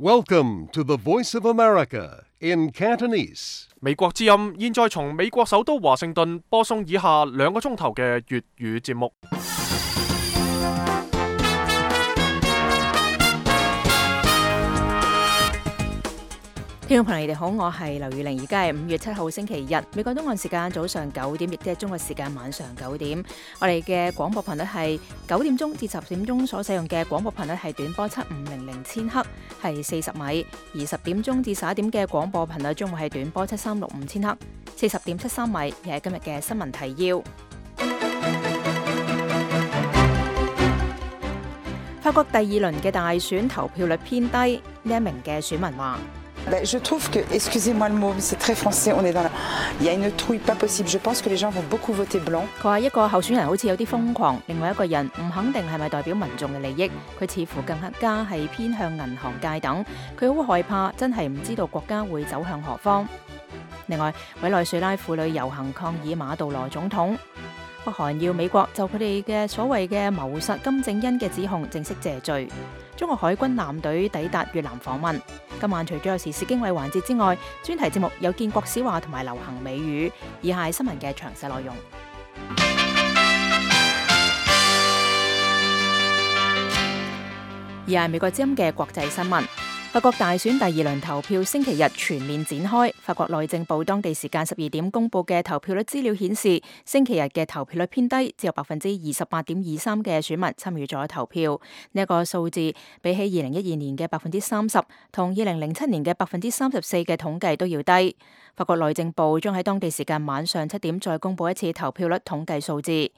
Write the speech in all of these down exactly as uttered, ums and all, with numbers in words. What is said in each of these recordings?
Welcome to the Voice of America in Cantonese. 美國之音現在從美國首都華盛頓播送以下兩個鐘頭嘅粵語節目。聽眾朋友，你哋好，我係劉宇玲，而家係五月七號星期日，美國東岸時間早上九點，亦即係中國時間晚上九點。我哋嘅廣播頻率係九點鐘至十點鐘所使用嘅廣播頻率係短波七五零零千赫，係四十米；而十點鐘至十一點嘅廣播頻率將會係短波七三六五千赫，四十點七三米。亦係今日嘅新聞提要。法國第二輪嘅大選投票率偏低，呢一名嘅選民話。Je trouve que, excusez-moi le mot, c'est très français, on est dans la... Il y a une trouille pas possible. Je pense que les gens vont beaucoup voter blanc. 佢話一個候選人好似有啲瘋狂，另外一個人唔肯定係咪代表民眾嘅利益，佢似乎更加係偏向銀行界等。佢好害怕，真係唔知道國家會走向何方。另外，委內瑞拉婦女遊行抗議馬杜羅總統。北韓要美國就佢哋嘅所謂嘅謀殺金正恩嘅指控正式謝罪。中國海軍艦隊抵達越南訪問。今晚除咗有時事經緯環節之外，專題節目有建國史話同埋流行美語。以下係新聞嘅詳細內容。以下係美國之音嘅國際新聞。法國大選第二輪投票星期日全面展開。法國內政部當地時間十二點公佈嘅投票率資料顯示，星期日嘅投票率偏低，只有百分之二十八點二三嘅選民參與咗投票。呢、這、一個數字比起二零一二年嘅百分之三十同二零零七年嘅百分之三十四嘅統計都要低。法國內政部將喺當地時間晚上七點再公佈一次投票率統計數字。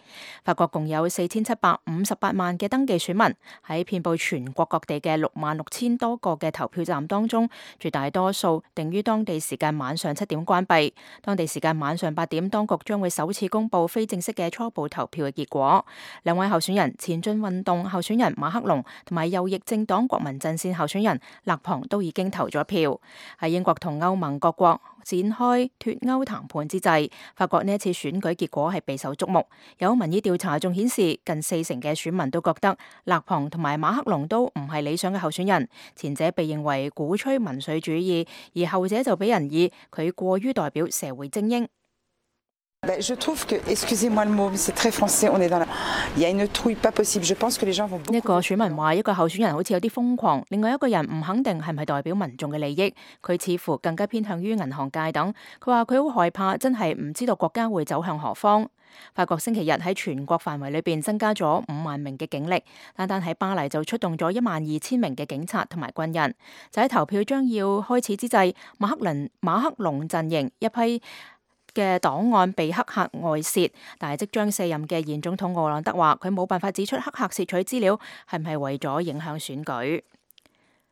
法國共有四千七百五十八萬嘅登記選民，喺遍佈全國各地嘅六萬六千多個嘅投票站當中，絕大多數定於當地時間晚上七點關閉。當地時間晚上八點，當局將會首次公佈非正式嘅初步投票嘅結果。兩位候選人，前進運動候選人馬克龍同埋右翼政黨國民陣線候選人勒龐都已經投咗票。喺英國同歐盟各國展開脫歐談判之際，法國呢一次選舉結果係備受矚目。有民意調查仲顯示，近四成嘅選民都覺得勒龐同埋馬克龍都唔係理想嘅候選人。前者被認為鼓吹民粹主義，而後者就俾人以佢過於代表社會精英。Je trouve que, excusez-moi le mot, c'est très français, on est dans la... Il y a une trouille pas possible. Je pense que les gens vont beaucoup... 一個選民話，一個候選人好似有啲瘋狂，另外一個人唔肯定係咪代表民眾嘅利益，佢似乎更加偏向於銀行界等。佢話佢好害怕，真係唔知道國家會走向何方。法國星期日喺全國範圍裏邊增加咗五萬名嘅警力，單單喺巴黎就出動咗一萬二千名嘅警察同埋軍人。就喺投票將要開始之際，馬克林馬克龍陣營一批嘅檔案被黑客外泄，但係即將卸任嘅現總統奧朗德話，佢冇辦法指出黑客竊取資料係唔係為咗影響選舉。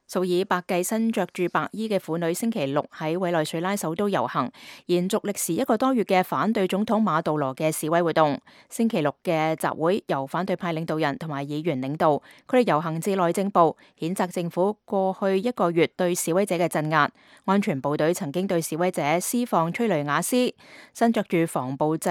數以百計身着住白衣嘅婦女星期六喺委內瑞拉首都遊行，延續歷時一個多月嘅反對總統馬杜羅嘅示威活動。星期六嘅集會由反對派領導人同埋議員領導，佢哋遊行至內政部，譴責政府過去一個月對示威者嘅鎮壓。安全部隊曾經對示威者施放催淚瓦斯，身着住防暴制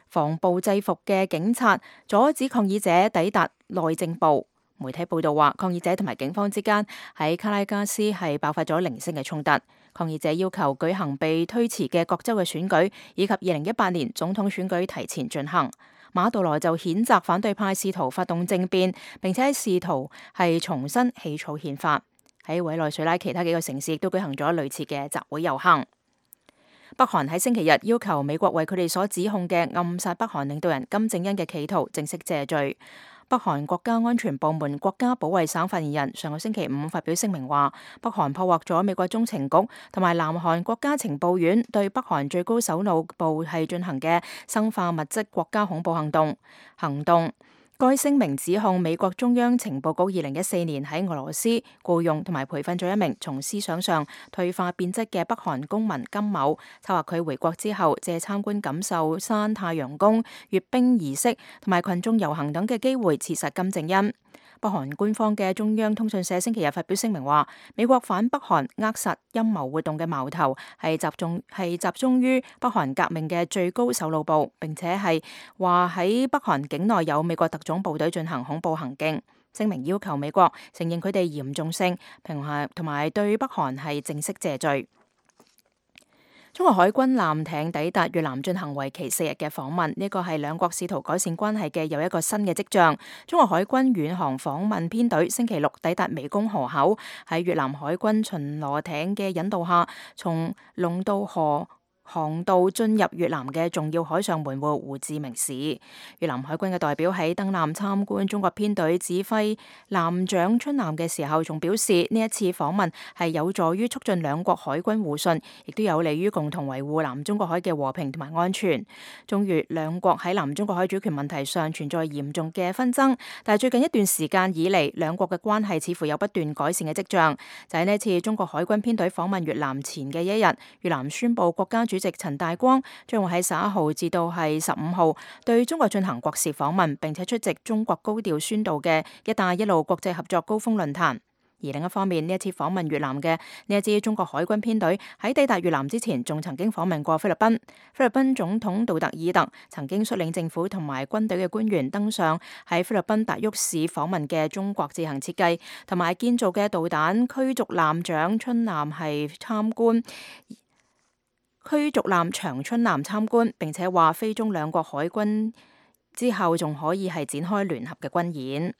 防暴制服嘅警察阻止抗議者抵達內政部。媒體報道話，抗議者同埋警方之間喺卡拉加斯係爆發咗零星嘅衝突。抗議者要求舉行被推遲嘅各州嘅選舉，以及二零一八年總統選舉提前進行。馬杜羅就譴責反對派試圖發動政變，並且試圖係重新起草憲法。喺委內瑞拉其他幾個城市亦都舉行咗類似嘅集會遊行。北韓喺星期日要求美國為佢哋所指控嘅暗殺北韓領導人金正恩嘅企圖正式謝罪。北韓國家安全部門國家保衛省發言人上個星期五發表聲明話，北韓破獲咗美國中情局同埋南韓國家情報院對北韓最高首腦部係進行嘅生化物質國家恐怖行動行動。該聲明指控美國中央情報局二零一四年喺俄羅斯僱用同埋培訓咗一名從思想上退化變質嘅北韓公民金某，策劃佢回國之後借參觀錦繡山太陽宮閱兵儀式同埋群眾遊行等嘅機會刺殺金正恩。北韓官方嘅中央通訊社星期日發表聲明話，美國反北韓扼殺陰謀活動嘅矛頭係集中係集中於北韓革命嘅最高首腦部，並且係話喺北韓境內有美國特種部隊進行恐怖行徑。聲明要求美國承認佢哋嚴重性，平衡同埋對北韓係正式謝罪。中國海軍艦艇抵達越南進行為期四日嘅訪問，呢個係兩國試圖改善關係嘅又一個新嘅跡象。中國海軍遠航訪問編隊星期六抵達湄公河口，喺越南海軍巡邏艇嘅引導下，從龍渡河航道進入越南嘅重要海上門戶胡志明市。越南海軍嘅代表喺登艦參觀中國編隊指揮艦長春艦嘅時候，仲表示呢一次訪問係有助於促進兩國海軍互信，亦都有利於共同維護南中國海嘅和平同埋安全。中越兩國喺南中國海主權問題上存在嚴重嘅紛爭，但係最近一段時間以嚟，兩國嘅關係似乎有不斷改善嘅跡象。就喺呢一次中國海軍編隊訪問越南前嘅一日，越南宣布國家主席陳大光將會喺十一號至到係十五號對中國進行國事訪問，並且出席中國高調宣導嘅一帶一路國際合作高峰論壇。而另一方面，呢一次訪問越南嘅呢一支中國海軍編隊喺抵達越南之前，仲曾經訪問過菲律賓。菲律賓總統杜特爾特曾經率領政府同埋軍隊嘅官員登上喺菲律賓達沃市訪問嘅中國自行設計同埋建造嘅導彈驅逐艦長春艦係參觀。驅逐艦長春艦參觀，並且話菲中兩國海軍之後仲可以係展開聯合嘅軍演。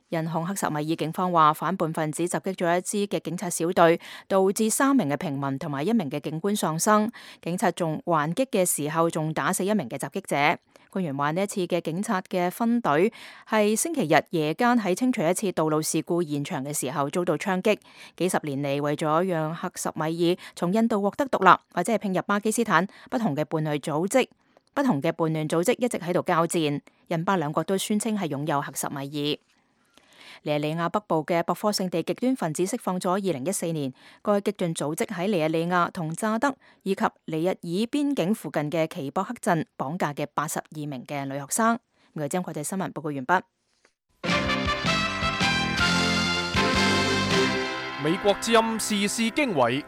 印控克什米爾警方話，反叛分子襲擊咗一支嘅警察小隊，導致三名嘅平民同埋一名嘅警官喪生。警察仲還擊嘅時候，仲打死一名嘅襲擊者。官員話呢一次嘅警察嘅分隊係星期日夜間喺清除一次道路事故現場嘅時候遭到槍擊。幾十年嚟，為咗讓克什米爾從印度獲得獨立，或者係併入巴基斯坦，不同嘅叛亂組織、不同嘅叛亂組織一直喺度交戰。印巴兩國都宣稱係擁有克什米爾。尼日利亞北部嘅博科聖地極端分子釋放咗二零一四年該激進組織喺尼日利亞同乍得以及尼日爾邊境附近嘅奇博克鎮綁架嘅八十二名嘅女學生。我哋將國際新聞報告完畢。美國之音時事經緯，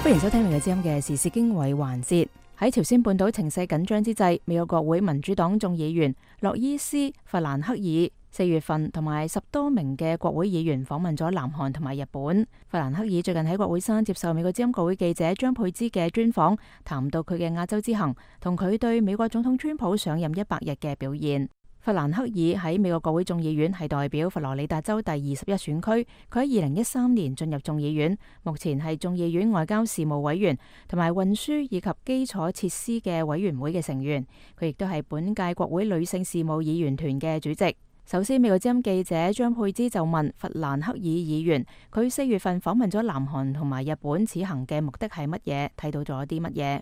歡迎收聽美國之音嘅時事經緯環節。喺朝鮮半島情勢緊張之際，美國國會民主黨眾議員洛伊斯·弗蘭克爾四月份同埋十多名嘅國會議員訪問咗南韓同埋日本。弗蘭克爾最近喺國會山接受美國之音國會記者張佩芝嘅專訪，談到佢嘅亞洲之行同佢對美國總統川普上任一百日嘅表現。弗蘭克爾喺美國國會眾議院係代表佛羅里達州第二十一選區，佢喺二零一三年進入眾議院，目前係眾議院外交事務委員同埋運輸以及基礎設施嘅委員會嘅成員，佢亦都係本屆國會女性事務議員團嘅主席。首先，美國之音記者張佩芝就問弗蘭克爾議員，佢四月份訪問咗南韓同埋日本，此行嘅目的係乜嘢？睇到咗啲乜嘢？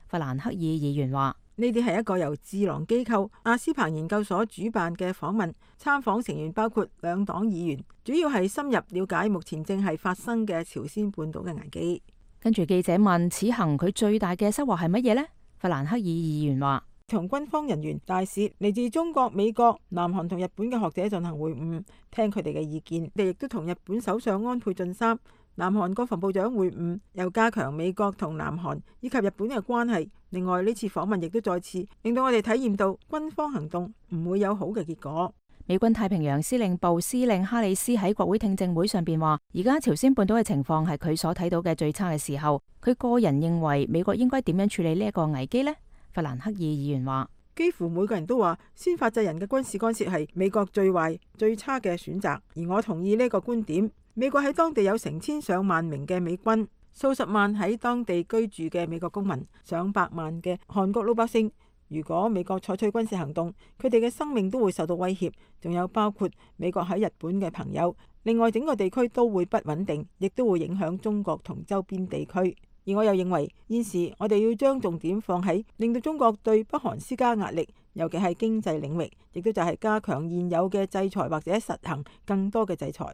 弗蘭克爾議員話：呢啲係一個由智囊機構亞斯彭研究所主辦嘅訪問，參訪成員包括兩黨議員，主要係深入了解目前正係發生嘅朝鮮半島嘅危機。跟住記者問：此行佢最大嘅收穫係乜嘢呢？弗蘭克爾議員話：同軍方人員、大使、嚟自中國、美國、南韓同日本嘅學者進行會晤，聽佢哋嘅意見。佢哋亦都同日本首相安倍晉三、南韓國防部長會晤，又加強美國同南韓以及日本嘅關係。另外呢次訪問亦都再次令到我哋體驗到軍方行動唔會有好嘅結果。美軍太平洋司令部司令哈里斯喺國會聽證會上邊話，而家朝鮮半島嘅情況係佢所睇到嘅最差嘅時候。佢個人認為美國應該點樣處理呢一個危機呢？弗蘭克爾議員話：幾乎每個人都話先發制人嘅軍事干涉係美國最壞最差嘅選擇，而我同意呢個觀點。美國喺當地有成千上萬名嘅美軍，數十萬喺當地居住嘅美國公民，上百萬嘅韓國老百姓。如果美國採取軍事行動，佢哋嘅生命都會受到威脅，仲有包括美國喺日本嘅朋友。另外整個地區都會不穩定，亦都會影響中國同周邊地區。而我又認為現時我哋要將重點放喺令到中國對北韓施加壓力，尤其係經濟領域，亦都就係加強現有嘅制裁或者實行更多嘅制裁。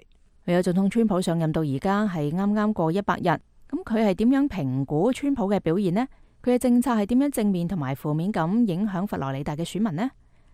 有總統川普上任到而家係啱啱過一百日，咁佢係點樣評估川普嘅表現呢？佢嘅政策係點樣正面同埋負面咁影響佛羅里達嘅選民呢？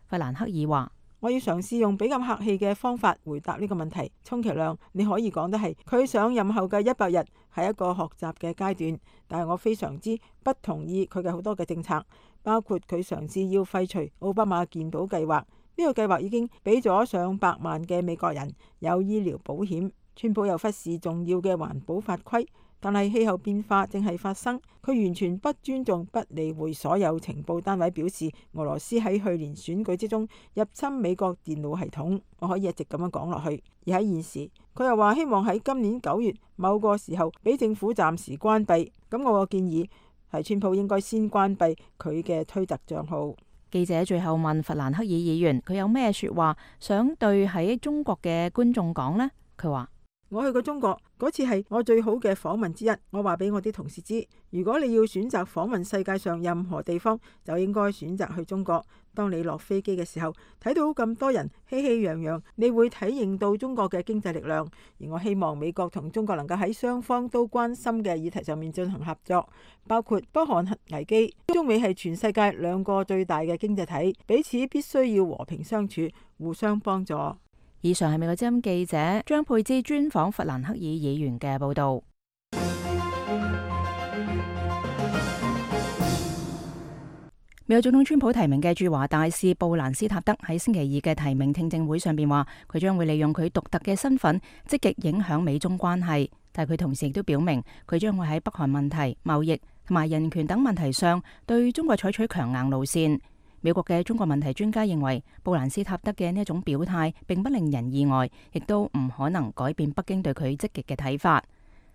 弗蘭克爾話：我要嘗試用比較客氣嘅方法回答呢個問題。充其量你可以講得係佢上任後嘅一百日係一個學習嘅階段，但係我非常之不同意佢嘅好多嘅政策，包括佢嘗試要廢除奧巴馬健保計劃。呢呢個計劃已經俾咗上百萬嘅美國人有醫療保險。川普又忽視重要嘅環保法規，但係氣候變化正係發生，佢完全不尊重、不理會所有情報單位表示俄羅斯喺去年選舉之中入侵美國電腦系統。我可以一直咁樣講落去。而喺現時，佢又話希望喺今年九月某個時候俾政府暫時關閉。咁我個建議係川普應該先關閉佢嘅推特賬號。記者最後問弗蘭克爾議員，佢有咩說話想對喺中國嘅觀眾講呢？佢話：我去過中國嗰次係我最好嘅訪問之一。我話俾我啲同事知，如果你要選擇訪問世界上任何地方，就應該選擇去中國。當你落飛機嘅時候，睇到咁多人熙熙攘攘，你會體認到中國嘅經濟力量。而我希望美國同中國能夠喺雙方都關心嘅議題上面進行合作，包括北韓核危機。中美係全世界兩個最大嘅經濟體，彼此必須要和平相處，互相幫助。以上係美國之音記者張佩芝專訪弗蘭克爾議員嘅報道。美國總統川普提名嘅駐華大使布蘭斯塔德喺星期二嘅提名聽證會上邊話，佢將會利用佢獨特嘅身份積極影響美中關係，但係佢同時亦都表明，佢將會喺北韓問題、貿易同埋人權等問題上對中國採取強硬路線。美國嘅中國問題專家認為，布蘭斯塔德嘅呢一種表態並不令人意外，亦都唔可能改變北京對佢積極嘅睇法。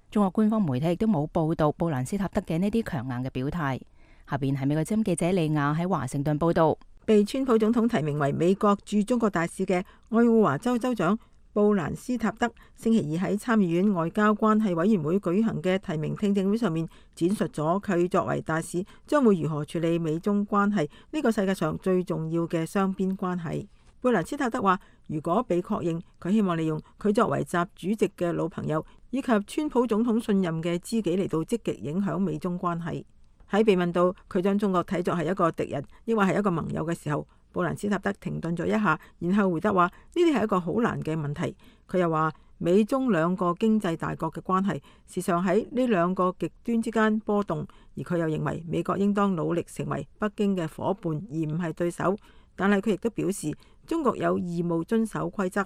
中國官方媒體亦都冇報道布蘭斯塔德嘅呢啲強硬嘅表態。下邊係美國之音記者李亞喺華盛頓報道。被川普總統提名為美國駐中國大使嘅愛奧華州州長布蘭斯塔德星期二喺參議院外交關係委員會舉行嘅提名聽證會上面，展述咗佢作為大使將會如何處理美中關係呢個世界上最重要嘅雙邊關係。布蘭斯塔德話，如果被確認，佢希望利用佢作為習主席嘅老朋友以及川普總統信任嘅知己嚟到積極影響美中關係。喺被問到佢將中國睇作係一個敵人，抑或係一個盟友嘅時候，布蘭斯塔德停頓咗一下，然後回答話：呢啲係一個好難嘅問題。佢又話，美中兩個經濟大國嘅關係時常喺呢兩個極端之間波動，而佢又認為美國應當努力成為北京嘅夥伴，而唔係對手。但係佢亦都表示，中國有義務遵守規則。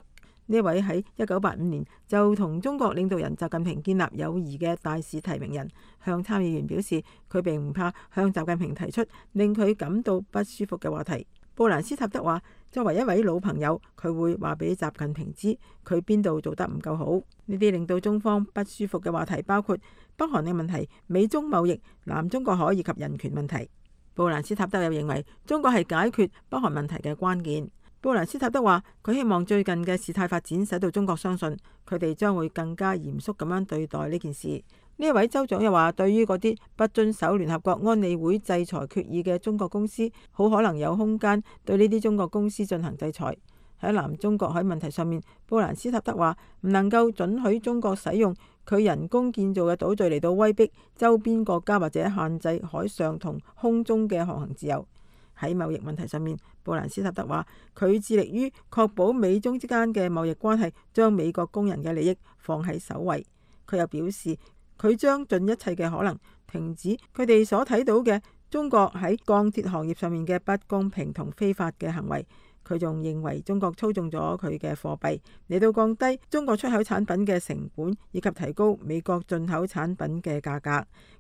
呢位喺一九八五年就同中國領導人習近平建立友誼嘅大使提名人，向參議員表示，佢並唔怕向習近平提出令佢感到不舒服嘅話題。布蘭斯塔德話，作為一位老朋友，佢會話俾習近平知佢邊度做得唔夠好。呢啲令到中方不舒服嘅話題包括北韓嘅問題、美中貿易、南中國海以及人權問題。布蘭斯塔德又認為中國係解決北韓問題嘅關鍵。布蘭斯塔德話，佢希望最近嘅事態發展使到中國相信佢哋將會更加嚴肅咁樣對待呢件事。呢一位州長又話，對於嗰啲不遵守聯合國安理會制裁決議嘅中國公司，好可能有空間對呢啲中國公司進行制裁。喺南中國海問題上面，布蘭斯塔德話唔能夠准許中國使用佢人工建造嘅島嶼嚟到威逼周邊國家或者限制海上同空中嘅航行自由。喺貿易問題上面，布蘭斯塔德話佢致力於確保美中之間嘅貿易關係將美國工人嘅利益放喺首位。佢又表示，佢將盡一切嘅可能停止佢哋所睇到嘅中國喺鋼鐵行業上面嘅不公平同非法嘅行為。佢仲認為中國操縱咗佢嘅貨幣嚟到降低中國出口產品嘅成本，以及提高美國進口產品嘅價格。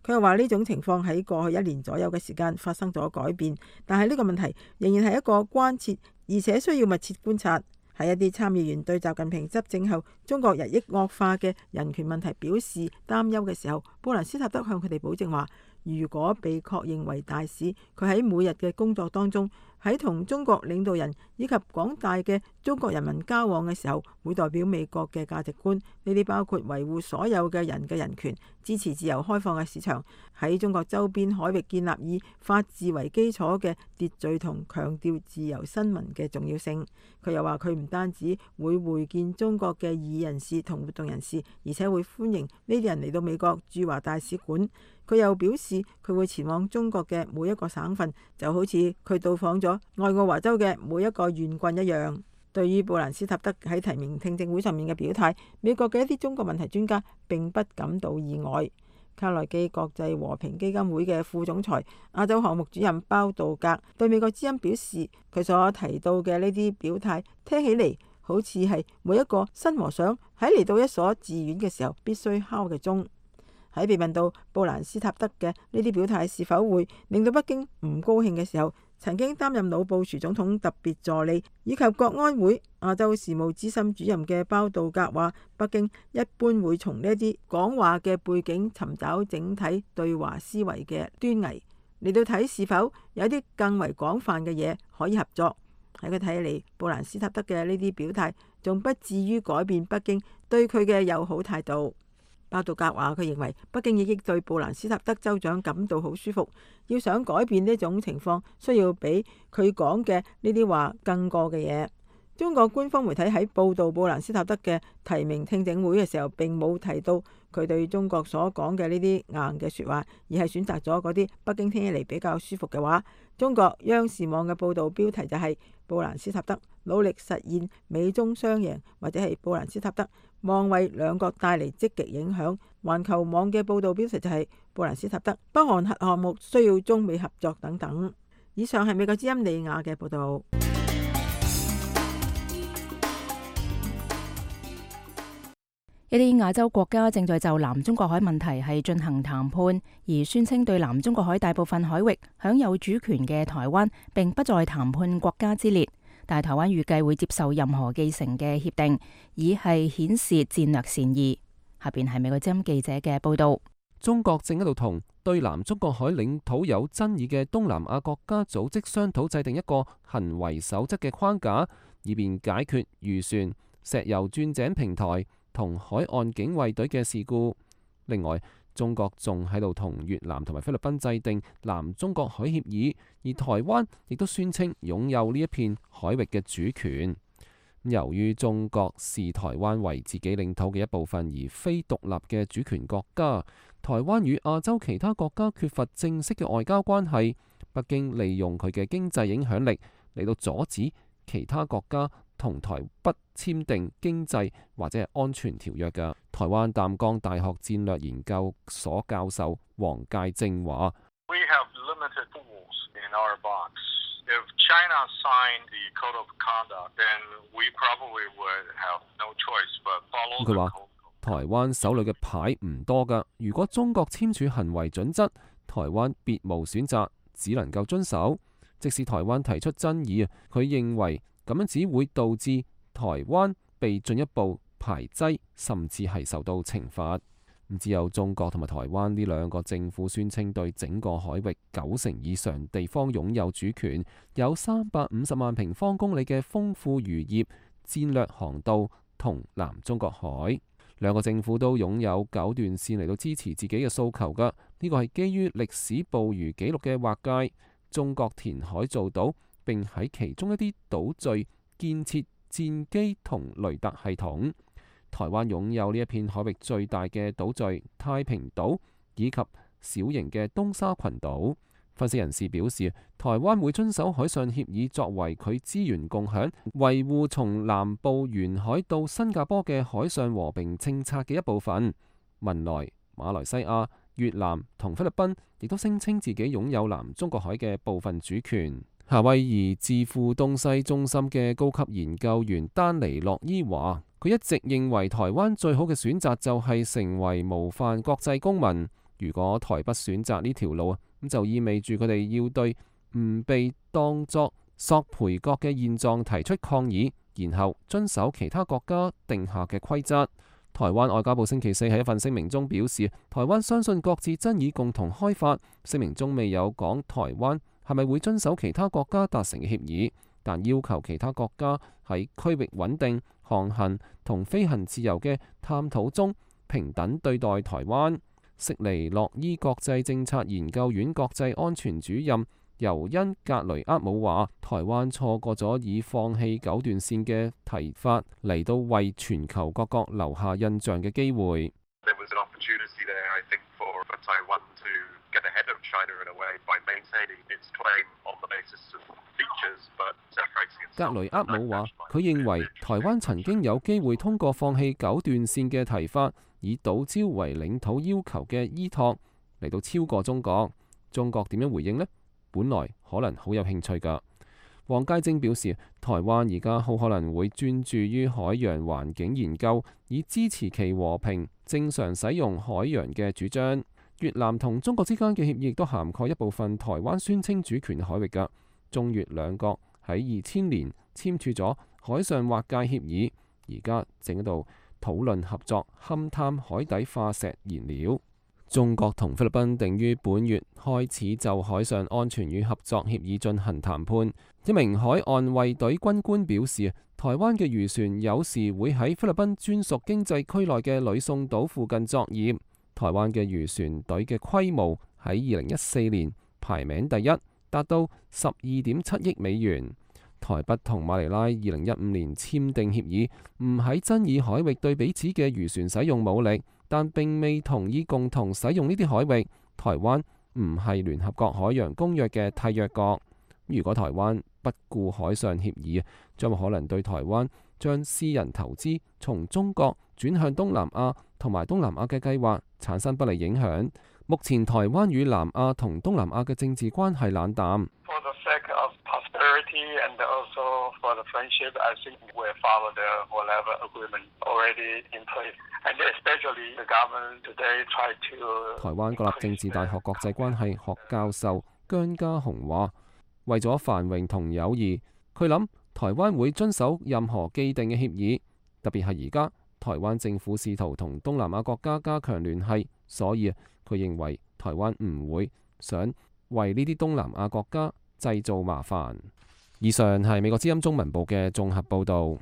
佢又話呢種情況喺過去一年左右嘅時間發生咗改變，但係呢個問題仍然係一個關切，而且需要密切觀察。喺一啲參議員對習近平執政後中國日益惡化嘅人權問題表示擔憂嘅時候，布蘭斯塔德向佢哋保證話，如果被確認為大使，佢喺每日嘅工作當中，喺同中國領導人以及廣大嘅中國人民交往嘅時候，會代表美國嘅價值觀。呢啲包括維護所有嘅人嘅人權，支持自由開放嘅市場，喺中國周邊海域建立以法治為基礎嘅秩序，同強調自由新聞嘅重要性。佢又話佢唔單止會會見中國嘅異議人士同活動人士，而且會歡迎呢啲人嚟到美國駐華大使館。佢又表示佢會前往中國嘅每一個省份，就好似佢到訪咗愛奧華州嘅每一個縣郡一樣。對於布蘭斯塔德喺提名聽證會上面嘅表態，美國嘅一啲中國問題專家並不感到意外。卡內基國際和平基金會嘅副總裁、亞洲項目主任包道格對美國之音表示，佢所提到嘅呢啲表態聽起嚟好似係每一個新和尚喺嚟到一所寺院嘅時候必須敲嘅鐘。喺被問到布蘭斯塔德嘅呢啲表態是否會令到北京唔高興嘅時候，曾經擔任老布殊總統特別助理以及國安會亞洲事務資深主任嘅包道格話，北京一般會從呢啲講話嘅背景尋找整體對華思維嘅端倪，嚟到睇是否有啲更為廣泛嘅嘢可以合作。喺佢睇嚟，布蘭斯塔德嘅呢啲表態仲不至於改變北京對佢嘅友好態度。包道格話：佢認為北京已經對布蘭斯塔德州長感到好舒服，要想改變呢種情況，需要比佢講嘅呢啲話更過嘅嘢。中國官方媒體喺報導布蘭斯塔德嘅提名聽證會嘅時候，並冇提到佢對中國所講嘅呢啲硬嘅説話，而係選擇咗嗰啲北京聽起嚟比較舒服嘅話。中國央視網嘅報導標題就係布蘭斯塔德努力實現美中雙贏，或者係布蘭斯塔德望為兩國帶嚟積極影響。環球網嘅報導標題就係布蘭斯塔德北韓核項目需要中美合作等等。以上係美國之音利亞嘅報導。一啲亞洲國家正在就南中國海問題係進行談判，而宣稱對南中國海大部分海域享有主權嘅台灣並不在談判國家之列，但係台灣預計會接受任何繼承嘅協定，以係顯示戰略善意。下邊係美國之音記者嘅報道。中國正喺度同對南中國海領土有爭議嘅東南亞國家組織商討制定一個行為守則嘅框架，以便解決漁船、石油鑽井平台同海岸警衛隊嘅事故。另外，中國仲喺度同越南同埋菲律賓制定南中國海協議，而台灣亦都宣稱擁有呢一片海域嘅主權。由於中國視台灣為自己領土嘅一部分，而非獨立嘅主權國家，台灣與亞洲其他國家缺乏正式嘅外交關係。北京利用佢嘅經濟影響力嚟到阻止其他國家同台北簽訂經濟或者係安全條約嘅。台灣淡江大學戰略研究所教授黃介正話：We have limited tools in our box. If China signed the code of conduct, then we probably would have no choice but follow the code. 佢話：台灣手裏嘅牌唔多㗎，如果中國簽署行為準則，台灣別無選擇，只能夠遵守。即使台灣提出爭議啊，佢認為咁樣只會導致台灣被進一步排擠，甚至係受到懲罰。只有中國同埋台灣呢兩個政府宣稱對整個海域九成以上地方擁有主權，有三百五十萬平方公里嘅豐富漁業、戰略航道同南中國海。兩個政府都擁有九段線嚟到支持自己嘅訴求㗎。呢個係基於歷史捕魚記錄嘅劃界。中國填海造島，並喺其中一啲島嶼建設戰機同雷達系統。台灣擁有呢一片海域最大嘅島嶼太平島，以及小型嘅東沙群島。分析人士表示，台灣會遵守海上協議作為佢資源共享、維護從南部沿海到新加坡嘅海上和平政策嘅一部分。文萊、馬來西亞、越南同菲律賓亦都聲稱自己擁有南中國海嘅部分主權。夏威夷智庫東西中心嘅高級研究員丹尼洛伊話：佢一直認為台灣最好嘅選擇就係成為模範國際公民。如果台北選擇呢條路啊，咁就意味住佢哋要對唔被當作索賠國嘅現狀提出抗議，然後遵守其他國家定下嘅規則。台灣外交部星期四喺一份聲明中表示，台灣相信各自爭議共同開發。聲明中未有講台灣係咪會遵守其他國家達成嘅協議，但要求其他國家喺區域穩定、航行同飛行自由嘅探討中平等對待台灣。悉尼諾伊國際政策研究院國際安全主任尤恩格雷厄姆話：台灣錯過咗以放棄九段線嘅提法嚟到為全球各國留下印象嘅機會。格雷厄姆話：佢認為台灣曾經有機會通過放棄九段線嘅提法，以島礁為領土要求嘅依託嚟到超過中國。中國點樣回應呢？本來可能好有興趣㗎。黃佳晶表示，台灣而家好可能會專注於海洋環境研究，以支持其和平正常使用海洋嘅主張。越南同中國之間嘅協議亦都涵蓋一部分台灣宣稱主權海域㗎。中越兩國喺二千年簽署咗海上劃界協議，而家正喺度討論合作勘探海底化石燃料。中國同菲律賓定於本月開始就海上安全與合作協議進行談判。一名海岸衛隊軍官表示，台灣嘅漁船有時會喺菲律賓專屬經濟區內嘅呂宋島附近作業。台灣嘅漁船隊嘅規模喺二零一四年排名第一，達到十二點七億美元。台北同馬尼拉二零一五年簽訂協議，唔喺爭議海域對彼此嘅漁船使用武力，但並未同意共同使用呢啲海域。台灣唔係聯合國海洋公約嘅締約國。如果台灣不顧海上協議，將會可能對台灣將私人投資從中國轉向東南亞同埋東南亞嘅計劃產生不利影響。目前台灣與南亞同東南亞嘅政治關係冷淡。台灣國立政治大學國際關係學教授姜家雄話：為咗繁榮同友誼，佢諗台灣會遵守任何既定嘅協議，特別係而家台灣政府試圖同東南亞國家加強聯繫，所以佢認為台灣唔會想為呢啲東南亞國家製造麻煩。以上係美國之音中文部嘅綜合報導。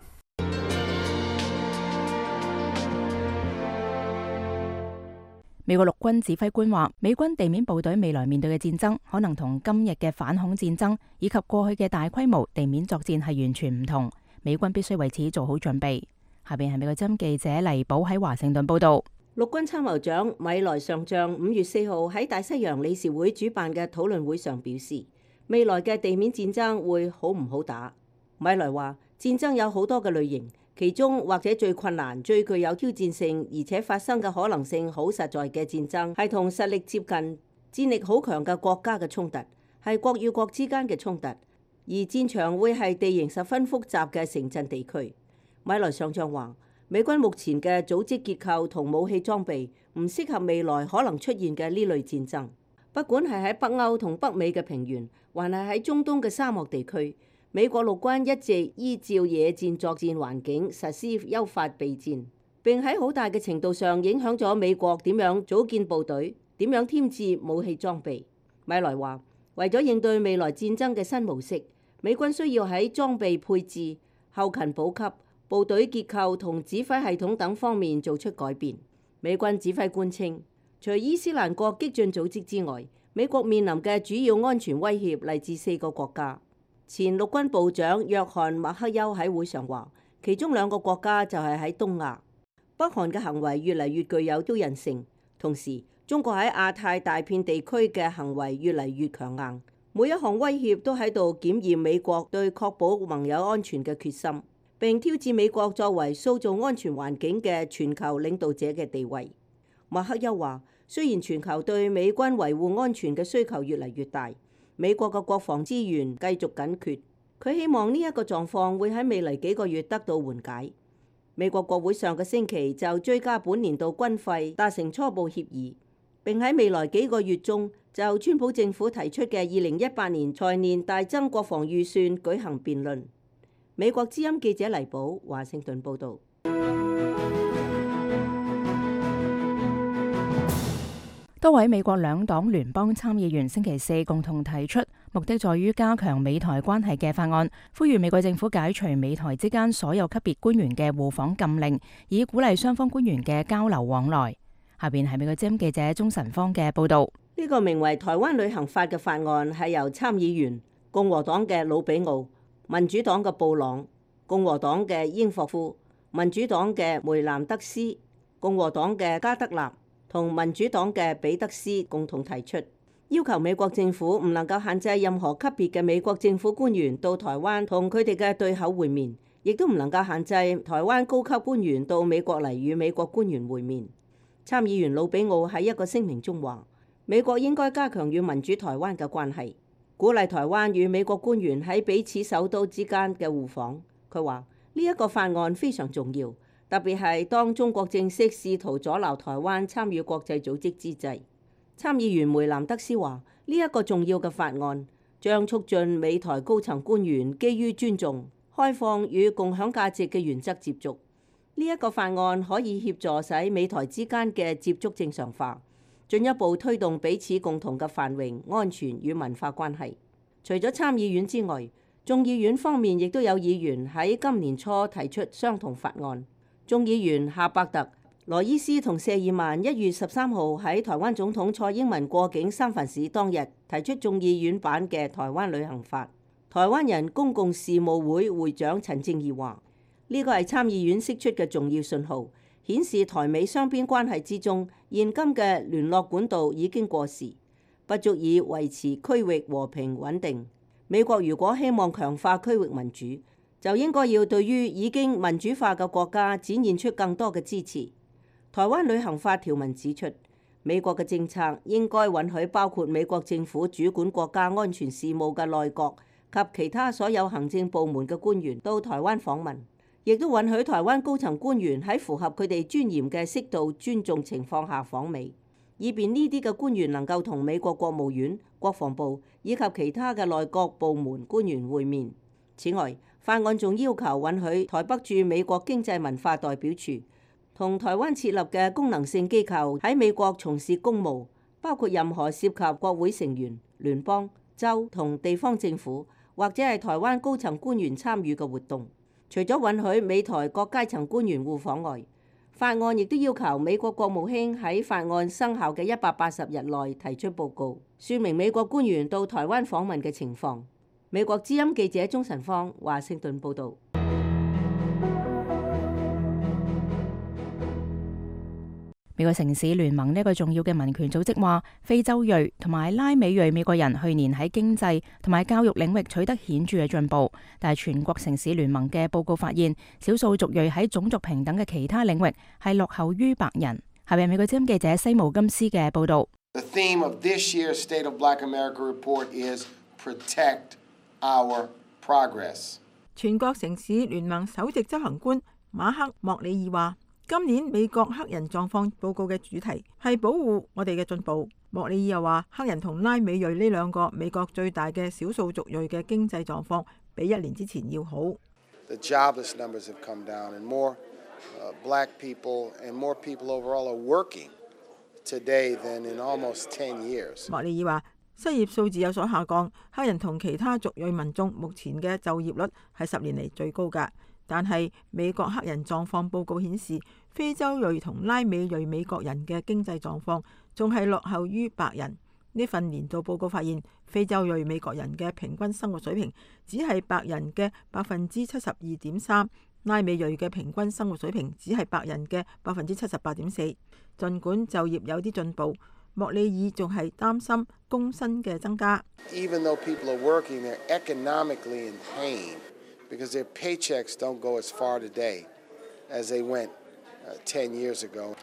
美國陸軍指揮官話，美軍地面部隊未來面對嘅戰爭，可能同今日嘅反恐戰爭以及過去嘅大規模地面作戰係完全唔同。美軍必須為此做好準備。下邊係美國之音記者黎寶喺華盛頓報導。陸軍參謀長米萊上將五月四號喺大西洋理事會主辦嘅討論會上表示，未來嘅地面戰爭會好唔好打？米萊話，戰爭有好多嘅類型。其中或者最困難、最具有挑戰性，而且發生嘅可能性好實在嘅戰爭，係同實力接近、戰力好強嘅國家嘅衝突，係國與國之間嘅衝突，而戰場會係地形十分複雜嘅城鎮地區。米萊上將話，美軍目前嘅組織結構同武器裝備唔適合未來可能出現嘅呢類戰爭，不管係喺北歐同北美嘅平原，還係喺中東嘅沙漠地區。美國陸軍一直依照野戰作戰環境實施優化備戰，並喺好大嘅程度上影響咗美國點樣組建部隊、點樣添置武器裝備。米萊話，為咗應對未來戰爭嘅新模式，美軍需要喺裝備配置、後勤補給、部隊結構同指揮系統等方面做出改變。美軍指揮官稱，除伊斯蘭國激進組織之外，美國面臨嘅主要安全威脅嚟自四個國家。前陸軍部長約翰馬克休喺會上話，其中兩個國家就係喺東亞。北韓嘅行為越嚟越具有挑釁性，同時中國喺亞太大片地區嘅行為越嚟越強硬。每一項威脅都喺度檢驗美國對確保盟友安全嘅決心，並挑戰美國作為塑造安全環境嘅全球領導者嘅地位。馬克休話，雖然全球對美軍維護安全嘅需求越嚟越大，美國嘅國防資源繼續緊缺，佢希望呢一個狀況會喺未來幾個月得到緩解。美國國會上個星期就追加本年度軍費達成初步協議，並喺未來幾個月中就川普政府提出嘅二零一八年財年大增國防預算舉行辯論。美國之音記者黎寶華盛頓報導。多位美國兩黨聯邦參議員星期四共同提出，目的在於加強美台關係嘅法案，呼籲美國政府解除美台之間所有級別官員嘅互訪禁令，以鼓勵雙方官員嘅交流往來。下邊係美國之音記者鍾晨芳嘅報導。呢個名為《台灣旅行法》嘅法案係由參議員共和黨嘅魯比奧、民主黨嘅布朗、共和黨嘅英霍夫、民主黨嘅梅南德斯、共和黨嘅加德納同民主黨嘅彼得斯共同提出。要求美國政府唔能夠限制任何級別嘅美國政府官員到台灣同佢哋嘅對口會面，亦都唔能夠限制台灣高級官員到美國嚟與美國官員會面。參議員魯比奧喺一個聲明中話，美國應該加強與民主台灣嘅關係，鼓勵台灣與美國官員喺彼此首都之間嘅互訪。佢話呢一個法案非常重要，特別係當中國正式試圖阻撓台灣參與國際組織之際。參議員梅南德斯話：呢一個重要嘅法案將促進美台高層官員基於尊重、開放與共享價值嘅原則接觸。呢一個法案可以協助使美台之間嘅接觸正常化，進一步推動彼此共同嘅繁榮、安全與文化關係。除咗參議院之外，眾議院方面亦都有議員喺今年初提出相同法案。眾議員夏伯特、羅伊斯同謝爾曼一月十三號喺台灣總統蔡英文過境三藩市當日提出眾議院版嘅台灣旅行法。台灣人公共事務會會長陳正義話：呢個係參議院釋出嘅重要信號，顯示台美雙邊關係之中現今嘅聯絡管道已經過時，不足以維持區域和平穩定。美國如果希望強化區域民主，就應該要對於已經民主化嘅國家展現出更多嘅支持。台灣旅行法條文指出，美國嘅政策應該允許包括美國政府主管國家安全事務嘅內閣及其他所有行政部門嘅官員到台灣訪問，亦都允許台灣高層官員喺符合佢哋尊嚴嘅適度尊重情況下訪美，以便呢啲嘅官員能夠同美國國務院、國防部以及其他嘅內閣部門官員會面。此外，法案仲要求允許台北駐美國經濟文化代表處同台灣設立嘅功能性機構喺美國從事公務，包括任何涉及國會成員、聯邦、州同地方政府或者係台灣高層官員參與嘅活動。除咗允許美台各階層官員互訪外，法案亦都要求美國國務卿喺法案生效嘅一百八十日內提出報告，說明美國官員到台灣訪問嘅情況。美國之音記者鍾晨芳華盛頓報導。美國城市聯盟呢個重要嘅民權組織話，非洲裔同埋拉美裔美國人去年喺經濟同埋教育領域取得顯著嘅進步，但係全國城市聯盟嘅報告發現，少數族裔喺種族平等嘅其他領域係落後於白人。下面美國之音記者西姆金斯嘅報導。The theme of this year's State of Black America report is Protect Our Progress。全國城市聯盟首席執行官馬克莫里爾話：今年美國黑人狀況報告嘅主題係保護我哋嘅進步。莫里爾又話，黑人同拉美裔呢兩個美國最大嘅少數族裔嘅經濟狀況比一年之前要好。The jobless numbers have come down and more uh, black people and more people overall are working today than in almost ten years。莫里爾話，失業數字有所下降，黑人同其他族裔民眾目前嘅就業率係十年嚟最高㗎。但係美國黑人狀況報告顯示，非洲裔同拉美裔美國人嘅經濟狀況仲係落後於白人。呢份年度報告發現，非洲裔美國人嘅平均生活水平只係白人嘅百分之七十二點三，拉美裔嘅平均生活水平只係白人嘅百分之七十八點四。儘管就業有啲進步，莫里爾仲係擔心工薪嘅增加。Even though people are working, they're economically in pain.Because their paychecks don't go as far today as they went uh, ten years ago.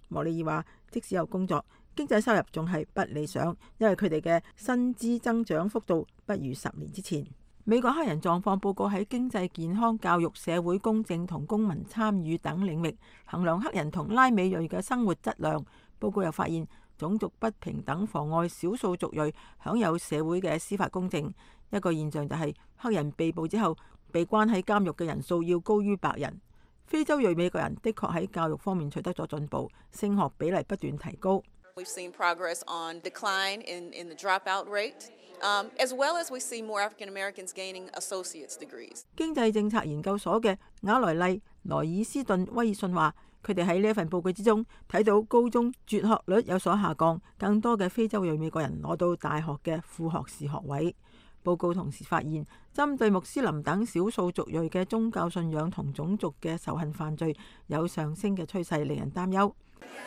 莫里爾話，即使有工作，經濟收入仲係不理想，因為佢哋嘅薪資增長幅度不如十年之前。美國黑人狀況報告喺經濟、健康、教育、社會公正同公民參與等領域衡量黑人同拉美裔嘅生活質量。報告又發現，種族不平等妨礙少數族裔享有社會嘅司法公正。一個現象就係黑人被捕之後被關喺監獄嘅人數要高於白人。非洲裔美國人的確喺教育方面取得咗進步，升學比例不斷提高。We've seen progress on decline in, in the dropout rate, um, as well as we see more African Americans gaining associate's degrees. 經濟政策研究所嘅雅萊麗萊爾斯頓威爾遜話，佢哋喺呢一份報告之中睇到高中輟學率有所下降，更多嘅非洲裔美國人攞到大學嘅副學士學位。報告同時發現，針對穆斯林等少數族裔嘅宗教信仰同種族嘅仇恨犯罪有上升嘅趨勢，令人擔憂。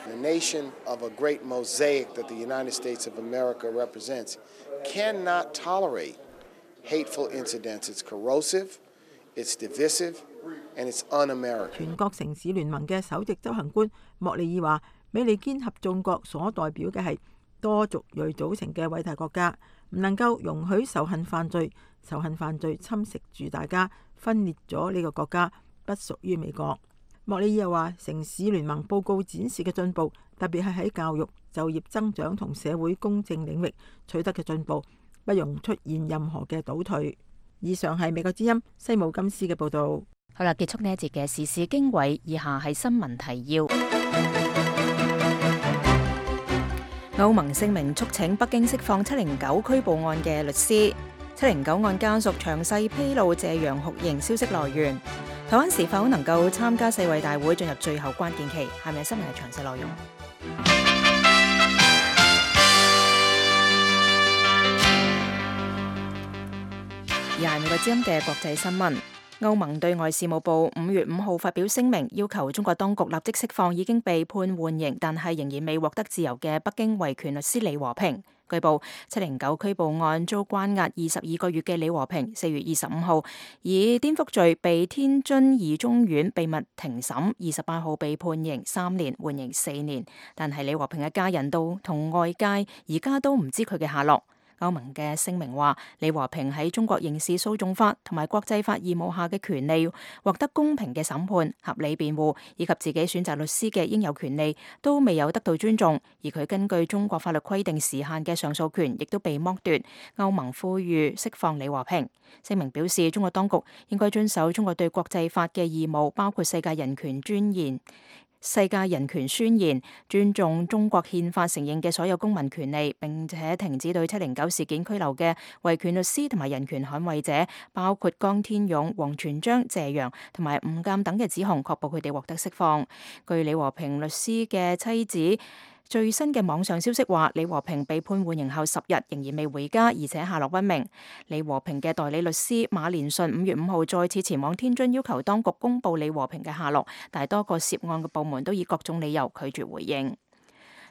The nation of a great mosaic that the United States of America represents cannot tolerate hateful incidents. It's corrosive, it's divisive, and it's un-American. 全國城市聯盟嘅首席執行官莫里爾話：美利堅合眾國所代表嘅係多族裔組成嘅偉大國家，唔能夠容許仇恨犯罪，仇恨犯罪侵蝕住大家，分裂咗呢個國家，不屬於美國。莫里爾又話：城市聯盟報告展示嘅進步，特別係喺教育、就業增長同社會公正領域取得嘅進步，不容出現任何嘅倒退。以上係美國之音西姆金斯嘅報導。好啦，結束呢一節嘅時事經緯，以下係新聞提要。歐盟聲明促請北京釋放七零九拘捕案嘅律師。七零九案家屬詳細披露謝陽酷刑消息來源。台灣是否能夠參加世衛大會進入最後關鍵期？係咪新聞係詳細內容？而係美國之音嘅國際新聞。歐盟對外事務部五月五號發表聲明，要求中國當局立即釋放已經被判緩刑但係仍然未獲得自由嘅北京維權律師李和平。據報，七零九拘捕案遭關押二十二個月嘅李和平，四月二十五號以顛覆罪被天津二中院秘密庭審，二十八號被判刑三年，緩刑四年。但係李和平嘅家人都同外界而家都唔知佢嘅下落。歐盟嘅聲明話，李和平喺中國刑事訴訟法同埋國際法義務下嘅權利，獲得公平嘅審判、合理辯護以及自己選擇律師嘅應有權利，都未有得到尊重。而佢根據中國法律規定時限嘅上訴權，亦都被剝奪。歐盟呼籲釋放李和平。聲明表示，中國當局應該遵守中國對國際法嘅義務，包括世界人權尊嚴。世界人權宣言，尊重中國憲法承認嘅所有公民權利，並且停止對七零九事件拘留嘅維權律師同埋人權捍衛者，包括江天勇、王全璋、謝陽同埋吳鑑等嘅指控，確保佢哋獲得釋放。據李和平律師嘅妻子最新嘅網上消息話，李和平被判緩刑後十日仍然未回家，而且下落不明。李和平嘅代理律師馬連順五月五號再次前往天津，要求當局公布李和平嘅下落，但係多個涉案嘅部門都以各種理由拒絕回應。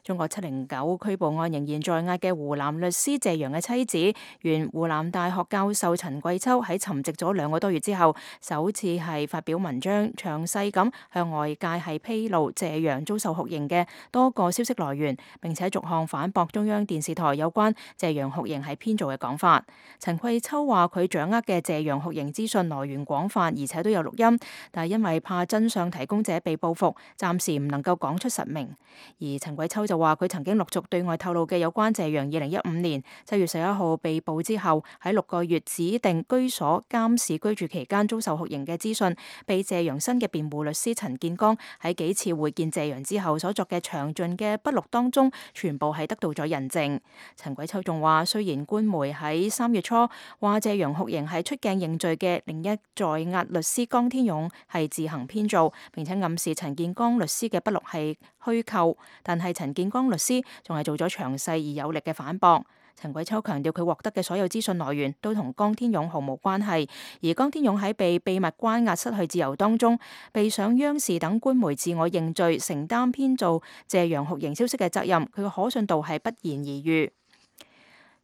中國七零九拘捕案仍然在押嘅湖南律師謝陽嘅妻子，原湖南大學教授陳桂秋喺沉寂咗兩個多月之後，首次係發表文章，詳細咁向外界係披露謝陽遭受酷刑嘅多個消息來源，並且逐項反駁中央電視台有關謝陽酷刑係編造嘅講法。陳桂秋話佢掌握嘅謝陽酷刑資訊來源廣泛，而且都有錄音，但係因為怕真相提供者被報復，暫時唔能夠講出實名。而陳桂秋就話佢曾經陸續對外透露嘅有關謝陽二零一五年七月十一號被捕之後喺六個月指定居所監視居住期間遭受酷刑嘅資訊，被謝陽新嘅辯護律師陳建剛喺幾次會見謝陽之後所作嘅詳盡嘅筆錄當中，全部係得到咗印證。陳桂秋仲話，雖然官媒喺三月初話謝陽酷刑係出鏡認罪嘅另一在押律師江天勇係自行編造，並且暗示陳建剛律師嘅筆錄係虛構，但係陳建剛律師仲係做咗詳細而有力嘅反駁。陳桂秋強調佢獲得嘅所有資訊來源都同江天勇毫無關係，而江天勇喺被秘密關押失去自由當中，被上央視等官媒自我認罪，承擔編造謝陽酷刑消息嘅責任，佢嘅可信度係不言而喻。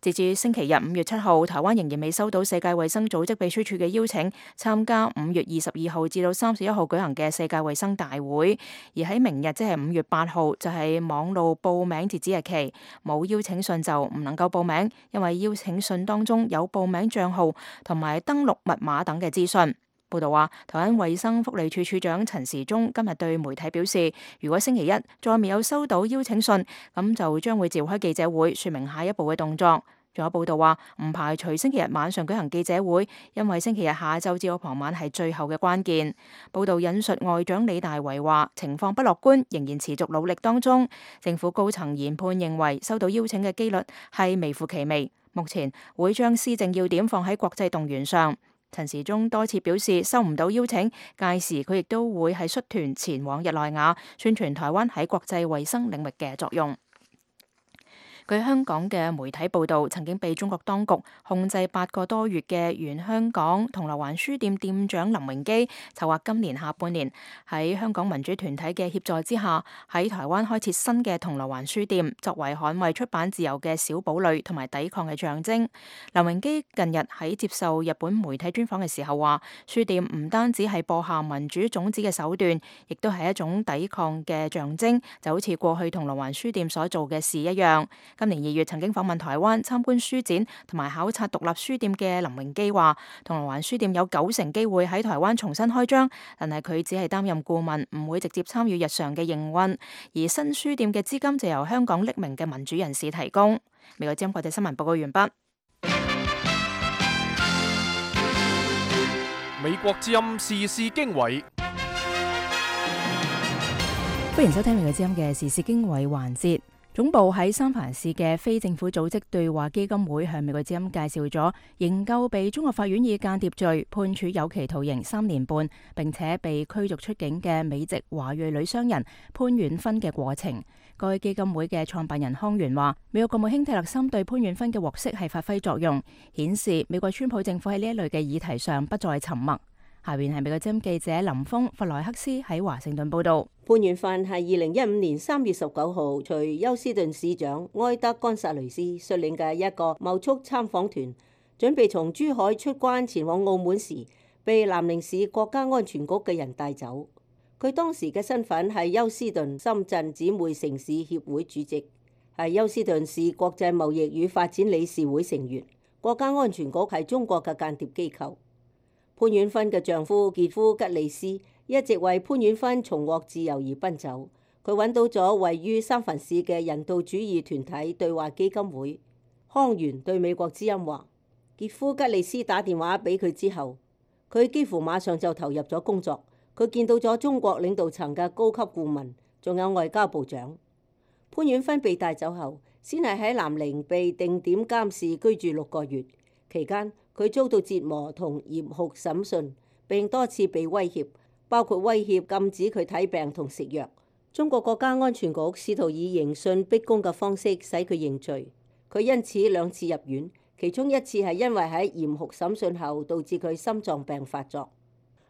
截至星期日五月七號，台灣仍然未收到世界衛生組織秘書處嘅邀請，參加五月二十二號至到三十一號舉行嘅世界衛生大會。而喺明日即係五月八號，就係、是、網路報名截止日期，冇邀請信就唔能夠報名，因為邀請信當中有報名帳號同埋登錄密碼等嘅資訊。報道話，台灣衛生福利處處長陳時中今日對媒體表示，如果星期一再未有收到邀請信，咁就將會召開記者會，說明下一步嘅動作。仲有報道話，唔排除星期日晚上舉行記者會，因為星期日下晝至到傍晚係最後嘅關鍵。報道引述外長李大維話，情況不樂觀，仍然持續努力當中。政府高層研判認為，收到邀請嘅機率係微乎其微。目前會將施政要點放喺國際動員上。陳時中多次表示收唔到邀請，屆時佢亦都會係率團前往日內瓦，宣傳台灣喺國際衛生領域嘅作用。據香港嘅媒體報道，曾經被中國當局控制八個多月嘅原香港銅鑼灣書店店長林榮基，籌劃今年下半年喺香港民主團體嘅協助之下，喺台灣開設新嘅銅鑼灣書店，作為捍衛出版自由嘅小堡壘同埋抵抗嘅象徵。林榮基近日喺接受日本媒體專訪嘅時候話，書店唔單止係播下民主種子嘅手段，亦都係一種抵抗嘅象徵，就好似過去銅鑼灣書店所做嘅事一樣。今年二月曾經訪問台灣參觀書展同埋考察獨立書店嘅林榮基話，銅鑼灣書店有九成機會喺台灣重新開張，但係佢只係擔任顧問，唔會直接參與日常嘅營運，而新書店嘅資金就由香港匿名嘅民主人士提供。美國之音國際新聞報告完畢。美國之音時事經緯，歡迎收聽美國之音嘅時事經緯環節。總部喺三藩市嘅非政府組織對話基金會向美國之音介紹咗營救被中國法院以間諜罪判處有期徒刑三年半，並且被驅逐出境嘅美籍華裔女商人潘婉芬嘅過程。該基金會嘅創辦人康源話，美國國務卿蒂勒森對潘婉芬嘅獲釋係發揮作用，顯示美國川普政府喺呢一類嘅議題上不再沉默。下邊係美國之音記者林峰弗萊克斯喺華盛頓報道。潘婉芬係二零一五年三月十九號隨休斯頓市長埃德干薩雷斯率領嘅一個貿促參訪團，準備從珠海出關前往澳門時，被南寧市國家安全局嘅人帶走。佢當時嘅身份係休斯頓深圳姊妹城市協會主席，係休斯頓市國際貿易與發展理事會成員。國家安全局係中國嘅間諜機構。潘婉芬嘅丈夫傑夫吉利斯一直為潘婉芬重獲自由而奔走。佢揾到咗位於三藩市嘅人道主義團體對話基金會。康源對美國之音話，傑夫吉利斯打電話俾佢之後，佢幾乎馬上就投入咗工作。佢見到咗中國領導層嘅高級顧問，仲有外交部長。潘婉芬被帶走後，先係喺南寧被定點監視居住六個月，期間佢遭到折磨同嚴酷審訊，並多次被威脅，包括威脅禁止佢睇病同食藥。中國國家安全局試圖以刑訊逼供嘅方式使佢認罪，佢因此兩次入院，其中一次係因為喺嚴酷審訊後導致佢心臟病發作。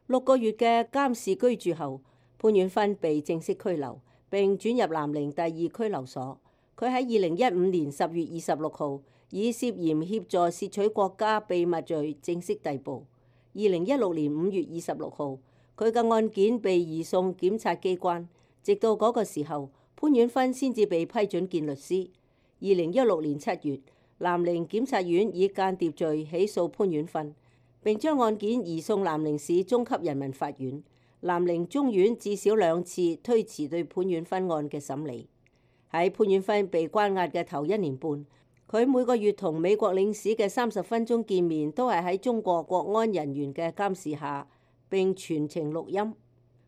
六個月嘅監視居住後，潘婉芬被正式拘留，並轉入南寧第二拘留所。佢喺二零一五年十月二十六號以涉嫌協助竊取國家秘密罪正式逮捕。二零一六年五月二十六號，佢嘅案件被移送檢察機關，直到嗰個時候，潘婉芬先至被批准見律師。二零一六年七月，南寧檢察院以間諜罪起訴潘婉芬，並將案件移送南寧市中級人民法院。南寧中院至少兩次推遲對潘婉芬案嘅審理。喺潘婉芬被關押嘅頭一年半，佢每個月同美國領事嘅三十分鐘見面都係喺中國國安人員嘅監視下，並全程錄音。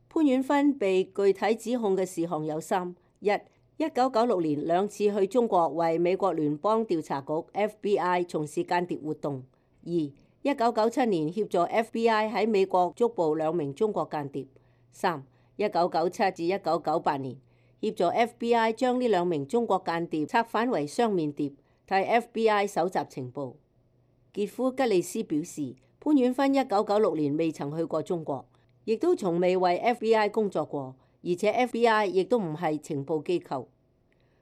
潘婉芬被具體指控嘅事項有三：一、一九九六年兩次去中國為美國聯邦調查局 F B I 從事間諜活動；二、一九九七年協助 F B I 喺美國捉捕兩名中國間諜；三、一九九七至一九九八年協助 F B I 將呢兩名中國間諜策反為雙面諜，替 F B I 搜集情報。傑夫吉利斯表示，潘婉芬一九九六年未曾去過中國，亦都從未為 F B I 工作過，而且 F B I 亦都唔係情報機構。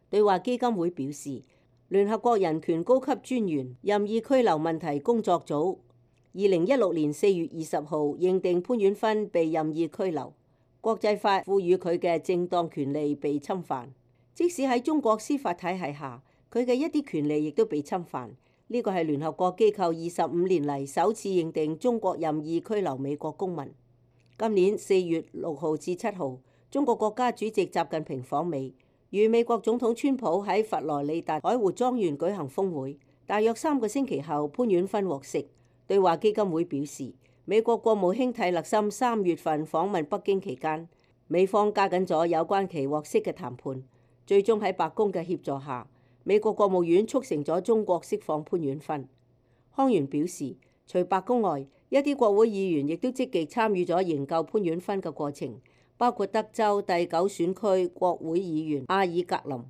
對話基金會表示，聯合國人權高級專員任意拘留問題工作組二零一六年四月二十號認定潘婉芬被任意拘留，國際法賦予佢嘅正當權利被侵犯，即使喺中國司法體系下，佢嘅一啲權利亦都被侵犯。呢個係聯合國機構二十五年嚟首次認定中國任意拘留美國公民。今年四月六號至七號，中國國家主席習近平訪美，與美國總統川普喺佛羅里達海湖莊園舉行峰會。大約三個星期後，潘婉芬獲釋。對話基金會表示，美國國務卿蒂勒森三月份訪問北京期間，美方加緊咗有關其獲釋嘅談判，最終喺白宮嘅協助下，美國國務院促成咗中國釋放潘婉芬。康源表示，除白宮外，一啲國會議員亦都積極參與咗營救潘婉芬嘅過程，包括德州第九選區國會議員阿爾格林。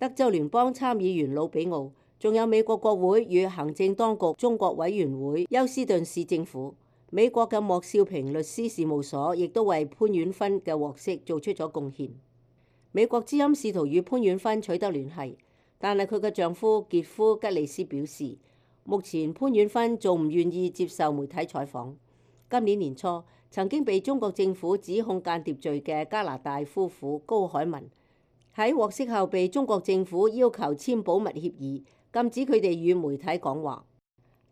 德州聯邦參議員魯比奧，仲有美國國會與行政當局中國委員會休斯頓市政府。美國嘅莫少平律師事務所亦都為潘婉芬嘅獲釋做出咗貢獻。美國之音試圖與潘婉芬取得聯繫，但係佢嘅丈夫傑夫吉利斯表示，目前潘婉芬仲唔願意接受媒體採訪。今年年初，曾經被中國政府指控間諜罪嘅加拿大夫婦高海文，喺獲釋後被中國政府要求簽保密協議，禁止佢哋與媒體講話。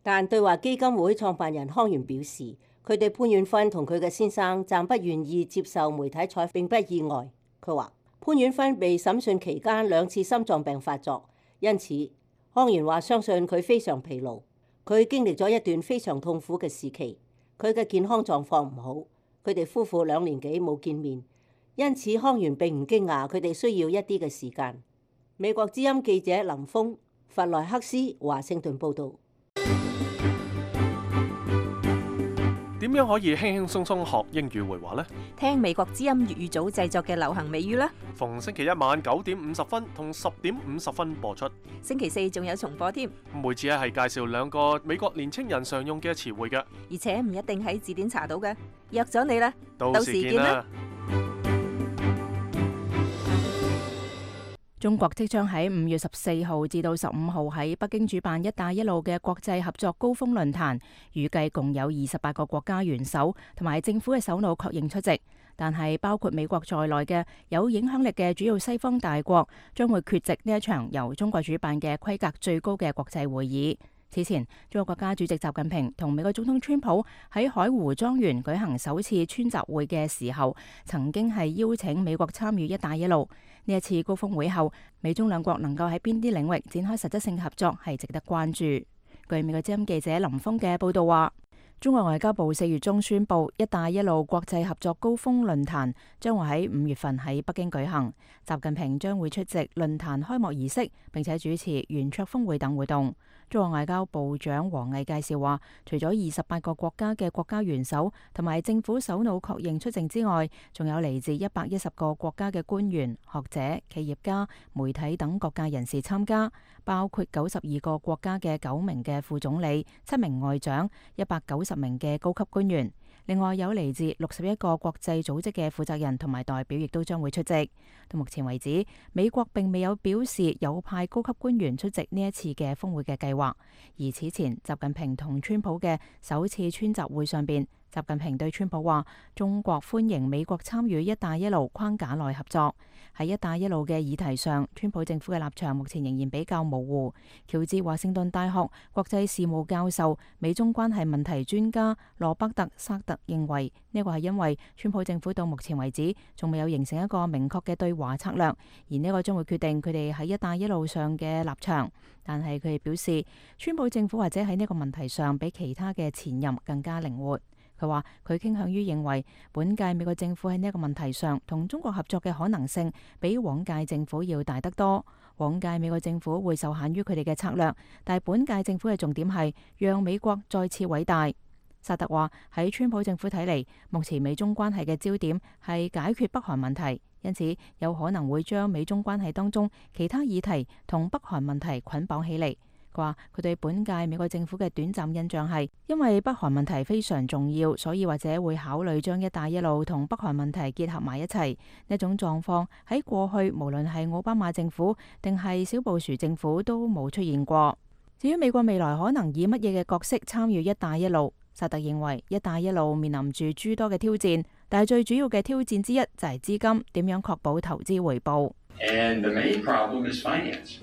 但對華基金會創辦人康源表示，佢對潘婉芬同佢嘅先生暫不願意接受媒體採訪並不意外。佢話潘婉芬被審訊期間兩次心臟病發作，因此康源話相信佢非常疲勞，佢經歷咗一段非常痛苦嘅時期，佢嘅健康狀況唔好。佢哋夫婦兩年幾冇見面，因此康源並唔驚訝佢哋需要一啲嘅時間。美國之音記者林峰，弗萊克斯，華盛頓報導。點樣可以輕輕鬆鬆學英語會話呢？聽美國之音粵語組製作嘅流行美語啦。逢星期一晚九點五十分同十點五十分播出。星期四仲有重播添。每次咧係介紹兩個美國年青人常用嘅詞彙嘅，而且唔一定喺字典查到嘅。約咗你啦，到時見啦。中國即將喺五月十四號至到十五號喺北京主辦「一帶一路」嘅國際合作高峰論壇，預計共有二十八個國家元首同埋政府嘅首腦確認出席，但係包括美國在內嘅有影響力嘅主要西方大國將會缺席呢一場由中國主辦嘅規格最高嘅國際會議。此前，中國國家主席習近平同美國總統川普喺海湖莊園舉行首次川習會嘅時候，曾經係邀請美國參與「一帶一路」。呢一次高峰會後，美中兩國能夠喺邊啲領域展開實質性合作係值得關注。據美國之音記者林峰嘅報道話，中國外交部四月中宣布，一帶一路國際合作高峰論壇將會喺五月份喺北京舉行，習近平將會出席論壇開幕儀式，並且主持圓桌峰會等活動。中國外交部長王毅介紹話，除咗二十八個國家嘅國家元首同埋政府首腦確認出席之外，仲有嚟自一百一十個國家嘅官員、學者、企業家、媒體等各界人士參加，包括九十二個國家嘅九名嘅副總理、七名外長、一百九十名嘅高級官員。另外有嚟自六十一個國際組織嘅負責人同埋代表，亦都將會出席。到目前為止，美國並未有表示有派高級官員出席呢一次嘅峰會嘅計劃。而此前，習近平同川普嘅首次川習會上邊，習近平對川普話：中國歡迎美國參與一帶一路框架內合作。喺一帶一路嘅議題上，川普政府嘅立場目前仍然比較模糊。喬治華盛頓大學國際事務教授、美中關係問題專家羅伯特·薩特認為，呢個係因為川普政府到目前為止仲未有形成一個明確嘅對華策略，而呢個將會決定佢哋喺一帶一路上嘅立場。但係佢哋表示，川普政府或者喺呢個問題上比其他嘅前任更加靈活。佢話佢傾向於認為，本屆美國政府喺呢一個問題上同中國合作嘅可能性比往屆政府要大得多。往屆美國政府會受限於佢哋嘅策略，但係本屆政府嘅重點係讓美國再次偉大。薩特話喺川普政府睇嚟，目前美中關係嘅焦點係解決北韓問題，因此有可能會將美中關係當中其他議題同北韓問題捆綁起嚟。佢話佢對本屆美國政府嘅短暫印象係，因為北韓問題非常重要，所以或者會考慮將一帶一路同北韓問題結合埋一齊。呢種狀況喺過去無論係奧巴馬政府定係小布殊政府都冇出現過。至於美國未來可能以乜嘢嘅角色參與一帶一路，薩特認為一帶一路面臨住諸多嘅挑戰，但係最主要嘅挑戰之一就係資金，點樣確保投資回報。And the main problem is finance.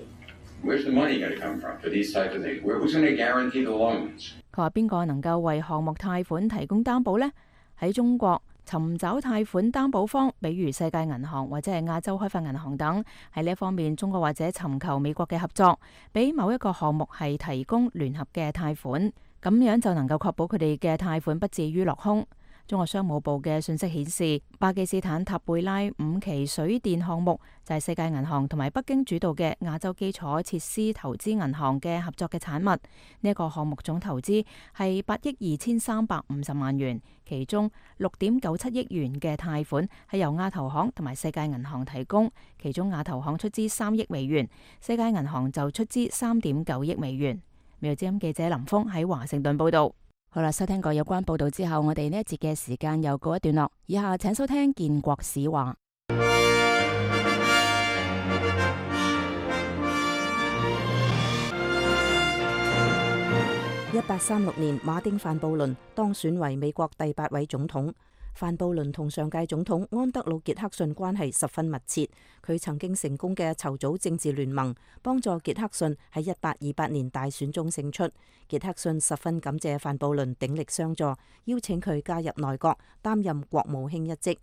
Where's the money going to come from for these types of things? Who's going to guarantee the loans? 佢話邊個能夠為項目貸款提供擔保呢？喺中國尋找貸款擔保方，比如世界銀行或者係亞洲開發銀行等，喺呢一方面，中國或者尋求美國嘅合作，俾某一個項目係提供聯合嘅貸款，咁樣就能夠確保佢哋嘅貸款不至於落空。中國商務部嘅信息顯示，巴基斯坦塔貝拉五期水電項目就係世界銀行同埋北京主導嘅亞洲基礎設施投資銀行嘅合作嘅產物。呢、這、一個項目總投資係八億二千三百五十萬元，其中六點九七億元嘅貸款係由亞投行同埋世界銀行提供，其中亞投行出資三億美元，世界銀行就出資三點九億美元。美國之音記者林峰喺華盛頓報道。好啦，收聽過有關報道之後，我哋呢一節嘅時間又告一段落。以下請收聽建國史話。一八三六年，馬丁范布倫當選為美國第八位總統。范布倫同上屆總統安德魯傑克遜關係十分密切，佢曾經成功嘅籌組政治聯盟，幫助傑克遜喺一八二八年大選中勝出。傑克遜十分感謝范布倫鼎力相助，邀請佢加入內閣，擔任國務卿一職。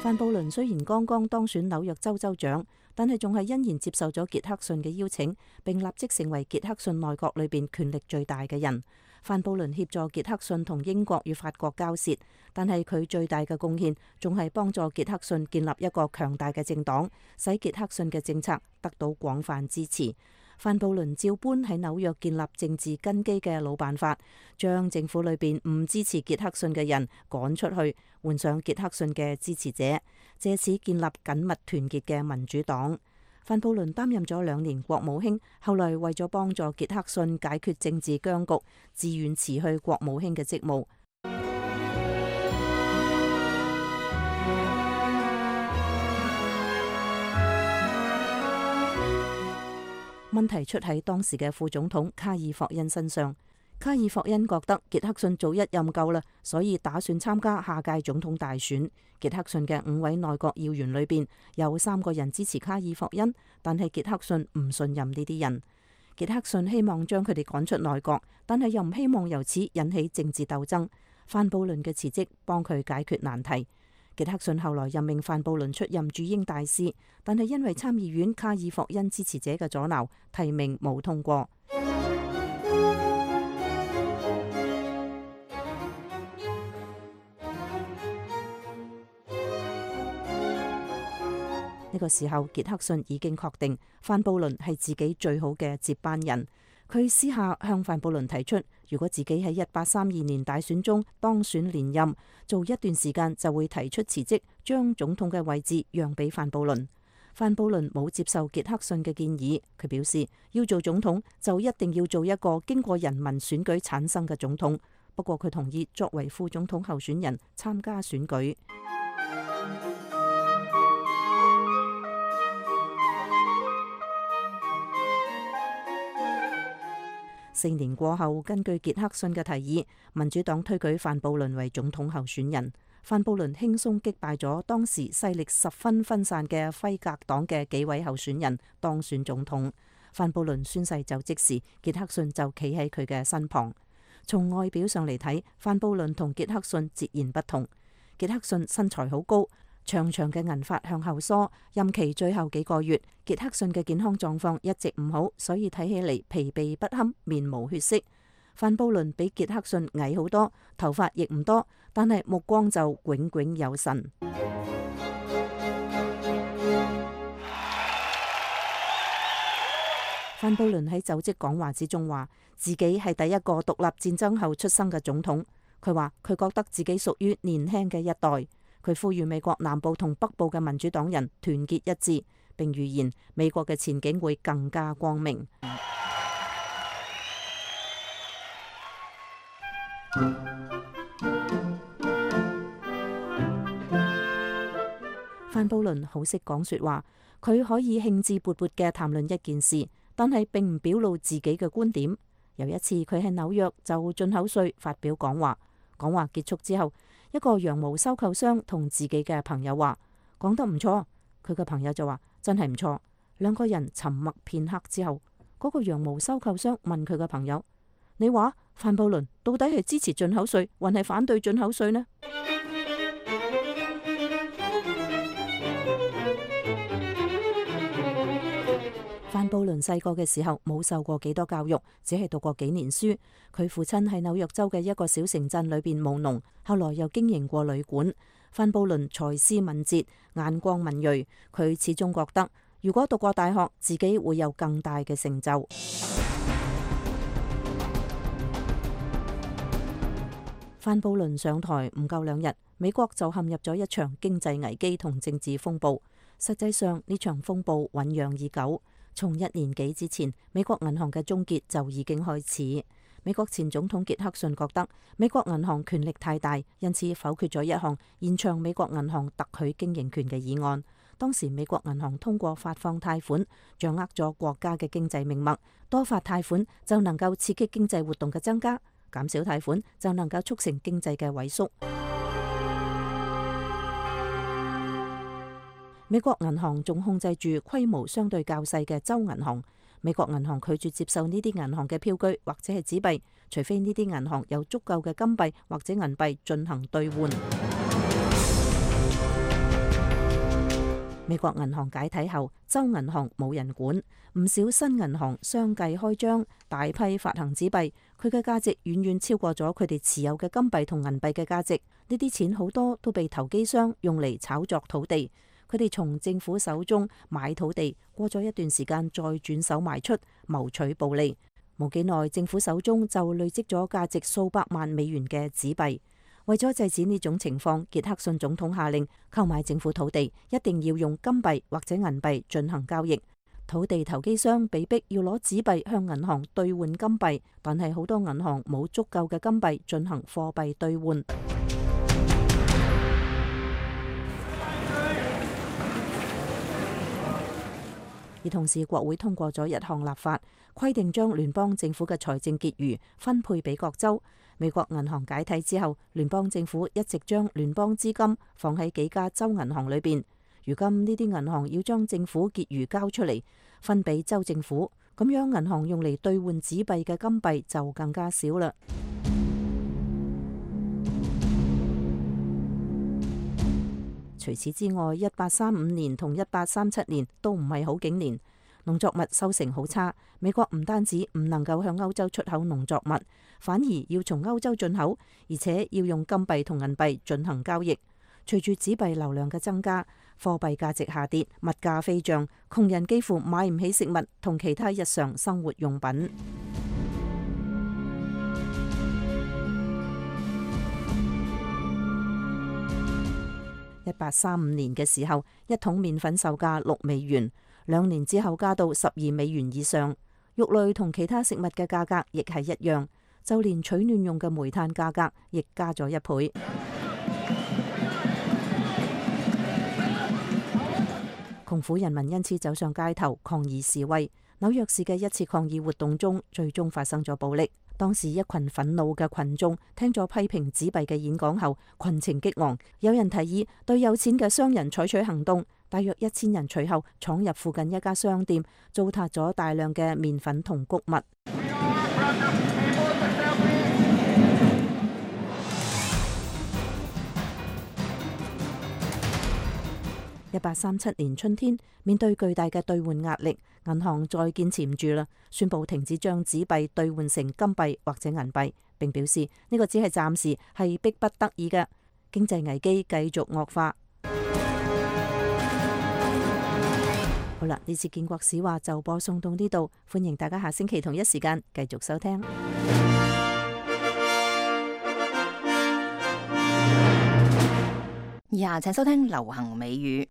范布倫雖然剛剛當選紐約州州長，但係仲係欣然接受咗傑克遜嘅邀請，並立即成為傑克遜內閣裏邊權力最大嘅人。范布倫協助傑克遜同英國與法國交涉，但係佢最大嘅貢獻仲係幫助傑克遜建立一個強大嘅政黨，使傑克遜嘅政策得到廣泛支持。范布倫照搬喺紐約建立政治根基嘅老辦法，將政府裏邊唔支持傑克遜嘅人趕出去，換上傑克遜嘅支持者，借此建立緊密團結嘅民主黨。范布倫擔任咗兩年國務卿，後來為咗幫助傑克遜解決政治僵局，自願辭去國務卿嘅職務。問題出喺當時嘅副總統卡爾霍恩身上。卡爾霍恩覺得傑克遜做一任夠啦，所以打算參加下屆總統大選。傑克遜嘅五位內閣要員裏邊有三個人支持卡爾霍恩，但係傑克遜唔信任呢啲人。傑克遜希望將佢哋趕出內閣，但係又唔希望由此引起政治鬥爭。范布倫嘅辭職幫佢解決難題。傑克遜後來任命范布倫出任駐英大使，但係因為參議院卡爾霍恩支持者嘅阻撓，提名冇通過。呢個時候，傑克遜已經確定范布倫係自己最好嘅接班人。佢私下向范布倫提出，如果自己喺一八三二年大選中當選連任，做一段時間就會提出辭職，將總統嘅位置讓俾范布倫。范布倫冇接受傑克遜嘅建議，佢表示要做總統就一定要做一個經過人民選舉產生嘅總統。不過佢同意作為副總統候選人參加選舉。四年過後，根據傑克遜嘅提議，民主黨推舉范布倫為總統候選人。范布倫輕鬆擊敗咗當時勢力十分分散嘅輝格黨嘅幾位候選人，當選總統。范布倫宣誓就職時，傑克遜就企喺佢嘅身旁。從外表上嚟睇，范布倫同傑克遜截然不同。傑克遜身材好高，長長嘅銀髮向後梳，任期最後幾個月，傑克遜嘅健康狀況一直唔好，所以睇起嚟疲憊不堪，面無血色。范布倫比傑克遜矮好多，頭髮亦唔多，但係目光就炯炯有神。范布倫喺就職講話之中話，自己係第一個獨立戰爭後出生嘅總統。佢話佢覺得自己屬於年輕嘅一代。佢呼籲美國南部同北部嘅民主黨人團結一致，並預言美國嘅前景會更加光明。范布倫好識講說話，佢可以興致勃勃嘅談論一件事，但係並唔表露自己嘅觀點。有一次佢喺紐約就進口稅發表講話，講話結束之後，一個羊毛收購商同自己嘅朋友話講得唔錯，佢嘅朋友就話真係唔錯。兩個人沉默片刻之後，嗰個羊毛收購商問佢嘅朋友：你話范布倫到底係支持進口稅，還係反對進口稅呢？范布倫細個嘅時候冇受過幾多教育，只係讀過幾年書。佢父親喺紐約州嘅一個小城鎮裏邊務農，後來又經營過旅館。范布倫才思敏捷，眼光敏銳，佢始終覺得如果讀過大學，自己會有更大嘅成就。范布倫上台唔夠兩日，美國就陷入咗一場經濟危機同政治風暴。實際上呢場風暴醞釀已久，從一年幾之前，美國銀行嘅終結就已經開始。美國前總統傑克遜覺得美國銀行權力太大，因此否決咗一項延長美國銀行特許經營權嘅議案。當時美國銀行通過發放貸款，掌握咗國家嘅經濟命脈，多發貸款就能夠刺激經濟活動嘅增加，減少貸款就能夠促成經濟嘅萎縮。美國銀行仲控制住規模相對較細嘅州銀行。美國銀行拒絕接受呢啲銀行嘅票據或者係紙幣，除非呢啲銀行有足夠嘅金幣或者銀幣進行兌換。美國銀行解體後，州銀行冇人管，唔少新銀行相繼開張，大批發行紙幣，佢嘅價值遠遠超過咗佢哋持有嘅金幣同銀幣嘅價值。呢啲錢好多都被投機商用嚟炒作土地。佢哋從政府手中買土地，過咗一段時間再轉手賣出，謀取暴利。冇幾耐，政府手中就累積咗價值數百萬美元嘅紙幣。為咗制止呢種情況，傑克遜總統下令購買政府土地一定要用金幣或者銀幣進行交易。土地投機商被逼要攞紙幣向銀行兌換金幣，但係好多銀行冇足夠嘅金幣進行貨幣兌換。而同時，國會通過咗一項立法，規定將聯邦政府嘅財政結餘分配俾各州。美國銀行解體之後，聯邦政府一直將聯邦資金放喺幾家州銀行裏邊。如今呢啲銀行要將政府結餘交出嚟，分俾州政府，咁樣銀行用嚟兌換紙幣嘅金幣就更加少啦。除此之外，一八三五年同一八三七年都唔係好景年，農作物收成好差。美國唔單止唔能夠向歐洲出口農作物，反而要從歐洲進口，而且要用金幣同銀幣進行交易。隨住紙幣流量嘅增加，貨幣價值下跌，物價飛漲，窮人幾乎買唔起食物同其他日常生活用品。一八三五年嘅時候，一桶麵粉售價六美元，兩年之後加到十二美元以上。肉類同其他食物嘅價格亦係一樣，就連取暖用嘅煤炭價格亦加咗一倍。窮苦人民因此走上街頭抗議示威。紐約市嘅一次抗議活動中，最終發生咗暴力。當時一群憤怒嘅群眾聽咗批評紙幣嘅演講後，群情激昂，有人提議對有錢嘅商人採取行動。大約一千人隨後闖入附近一家商店，糟蹋咗大量嘅麵粉同穀物。一八三七年春天，面對巨大嘅兌換壓力，銀行再堅持唔住啦，宣布停止將紙幣兌換成金幣或者銀幣，並表示呢個只係暫時，係逼不得已嘅。經濟危機繼續惡化。好啦，呢次建國史話就播送到呢度，歡迎大家下星期同一時間繼續收聽。以下請收聽流行美語。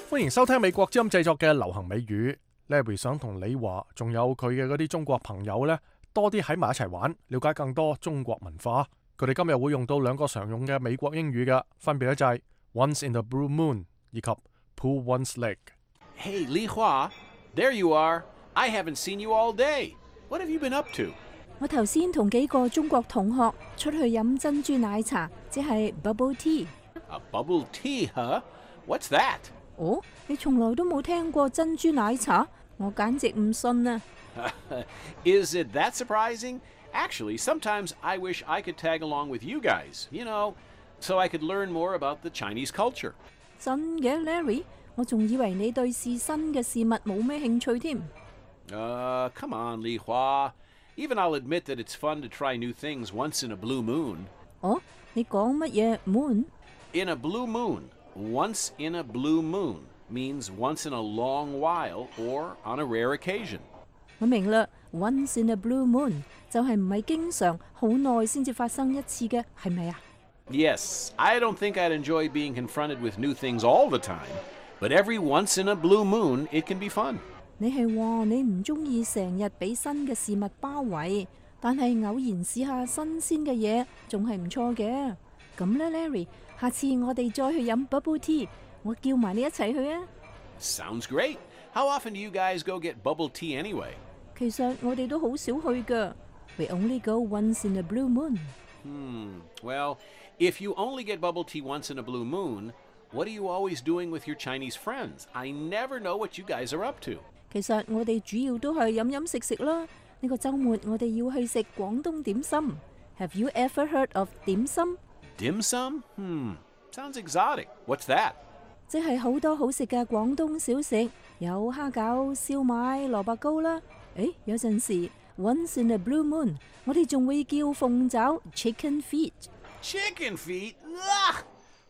歡迎收聽美國之音製作嘅流行美語。Larry 想同你話，仲有佢嘅嗰啲中國朋友呢，多啲喺埋一齊玩，了解更多中國文化。佢哋今日會用到兩個常用嘅美國英語嘅，分別咧就係 Once in the Blue Moon 以及 Pull one's leg。Hey, Li Hua, there you are. I haven't seen you all day. What have you been up to? 我頭先同幾個中國同學出去飲珍珠奶茶，即係 bubble tea。A bubble tea, huh? What's that? 哦，你從來都冇聽過珍珠奶茶？我簡直唔信啊！ Is it that surprising? Actually, sometimes I wish I could tag along with you guys, you know, so I could learn more about the Chinese culture. 真嘅 ，Larry， 我仲以為你對試新嘅事物冇咩興趣添。Uh, come on, Li Hua. Even I'll admit that it's fun to try new things once in a blue moon. 哦，你講乜嘢 moon？ In a blue moon, once in a blue moon means once in a long while or on a rare occasion. 我明啦 ，once in a blue moon 就係唔係經常好耐先至發生一次嘅，係咪啊？ Yes, I don't think I'd enjoy being confronted with new things all the time, but every once in a blue moon, it can be fun. 你係話你唔中意成日俾新嘅事物包圍，但係偶然試下新鮮嘅嘢，仲係唔錯嘅。咁呢 Larry， 下次我哋再去飲 bubble tea， 我叫埋你一齊去啊。Sounds great. How often do you guys go get bubble tea anyway? 其實我哋都好少去㗎。We only go once in a blue moon. Hmm. Well, if you only get bubble tea once in a blue moon, what are you always doing with your Chinese friends? I never know what you guys are up to. 其實我哋主要都係飲飲食食啦。呢個週末我哋要去食廣東點心。Have you ever heard of 點心？ Dim sum? Hmm. Sounds exotic. What's that? 即係好多好食嘅廣東小食，有蝦餃、燒賣、蘿蔔糕啦。誒，有陣時 once in a blue moon， 我哋仲會叫鳳爪 chicken feet。 Chicken feet? Ugh!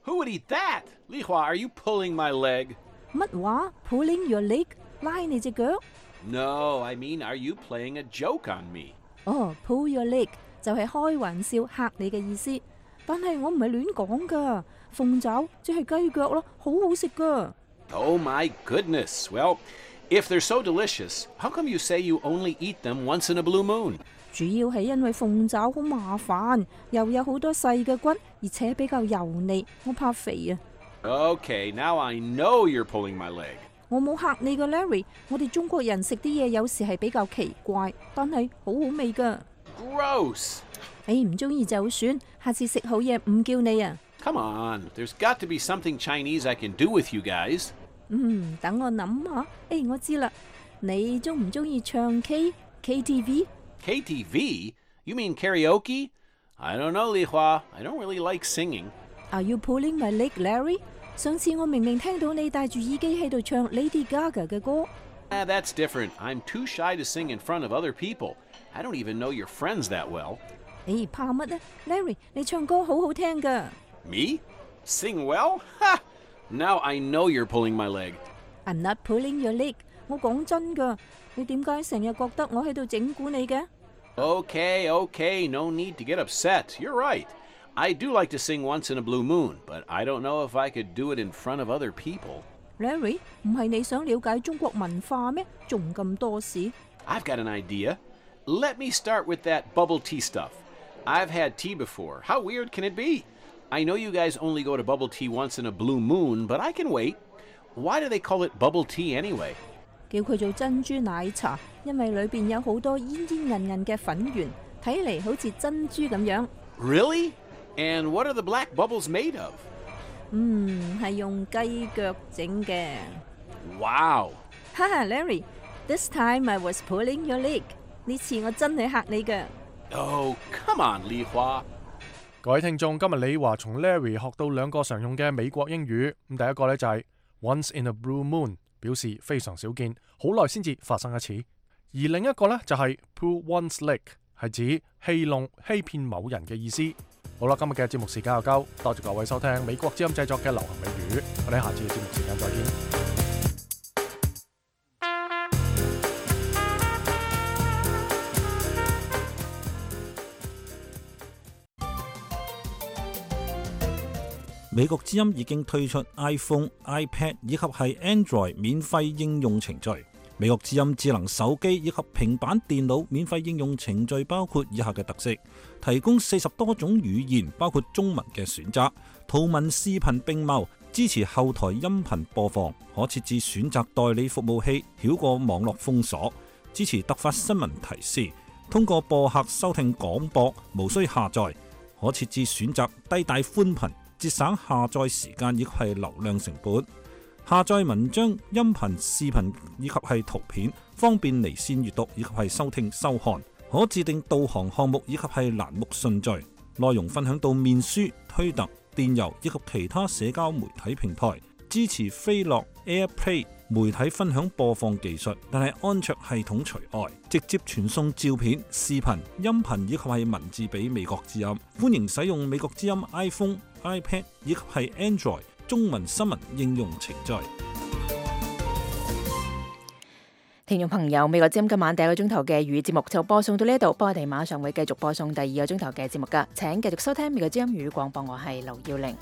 Who would eat that? Li Hua, are you pulling my leg? 乜話 ？Pulling your leg？ 拉你隻腳？ No, I mean, are you playing a joke on me? 哦 ，pull your leg 就係開玩笑嚇你嘅意思。但係我唔係亂講㗎，鳳爪即係雞腳咯，好好食㗎。Oh my goodness. Well, if they're so delicious, how come you say you only eat them once in a blue moon? 主要係因為鳳爪好麻煩，又有好多細嘅骨，而且比較油膩，我怕肥啊。Okay, now I know you're pulling my leg. 我冇嚇你㗎 Larry， 我哋中國人食啲嘢有時係比較奇怪，但係好好味㗎。Gross! 你唔中意就算，下次食好嘢唔叫你啊。Come on, there's got to be something Chinese I can do with you guys. 嗯，等我諗下。誒，我知啦，你中唔中意唱 K K T V？ K T V? You mean karaoke? I don't know, Li Hua. I don't really like singing. Are you pulling my leg, Larry? 上次我明明聽到你戴住耳機喺度唱 Lady Gaga 嘅歌。Ah, that's different. I'm too shy to sing in front of other people. I don't even know your friends that well. 誒，怕乜啊 ？Larry， 你唱歌好好聽㗎。Me? Sing well? Ha! Now I know you're pulling my leg. I'm not pulling your leg. 我講真㗎，你點解成日覺得我喺度整蠱你嘅？ Okay, okay, no need to get upset. You're right. I do like to sing once in a blue moon, but I don't know if I could do it in front of other people. Larry， 唔係你想了解中國文化咩？仲咁多事？ I've got an idea. Let me start with that bubble tea stuff. I've had tea before. How weird can it be? I know you guys only go to bubble tea once in a blue moon, but I can wait. Why do they call it bubble tea anyway? 叫佢做珍珠奶茶，因為裏邊有好多煙煙韌韌嘅粉圓，睇嚟好似珍珠咁樣。Really? And what are the black bubbles made of? 嗯，係用雞腳整嘅。Wow! 哈哈 ，Larry, this time I was pulling your leg. 呢次我真係嚇你㗎。Oh, come on, Li Hua. 各位聽眾，今日李華從 Larry 學到兩個常用嘅美國英語。咁第一個呢就係 once in a blue moon， 表示非常少見，好耐先至發生一次。而另一個呢就係 pull one's leg， 係指戲弄、欺騙某人嘅意思。好啦，今日嘅節目時間又夠，多謝各位收聽美國之音製作嘅流行美語，我哋下次嘅節目時間再見。美國之音已經推出 iPhone、iPad 以及係 Android 免費應用程序。美國之音智能手機以及平板電腦免費應用程序包括以下嘅特色：提供四十多種語言，包括中文嘅選擇，圖文視頻並茂，支持後台音頻播放，可設置選擇代理服務器，繞過網絡封鎖，支持突發新聞提示，通過播客收聽廣播，無需下載，可設置選擇低帶寬頻，節省下載時間以及係流量成本。下載文章、音頻、視頻以及係圖片，方便離線閱讀以及係收聽收看。可自定導航項目以及係欄目順序。內容分享到面書、推特、電郵以及其他社交媒體平台。支持飛樂 AirPlay 媒體分享播放技術，但係安卓系統除外，直接傳送照片、視頻、音頻以及係文字俾美國之音。歡迎使用美國之音 iPhone、iPad 以及係 Android 中文新聞應用程序。聽眾朋友，美國之音今晚第一個鐘頭嘅粵語節目就播送到呢度，不過我哋馬上會繼續播送第二個鐘頭嘅節目噶，請繼續收聽美國之音粵語廣播，我係劉耀玲。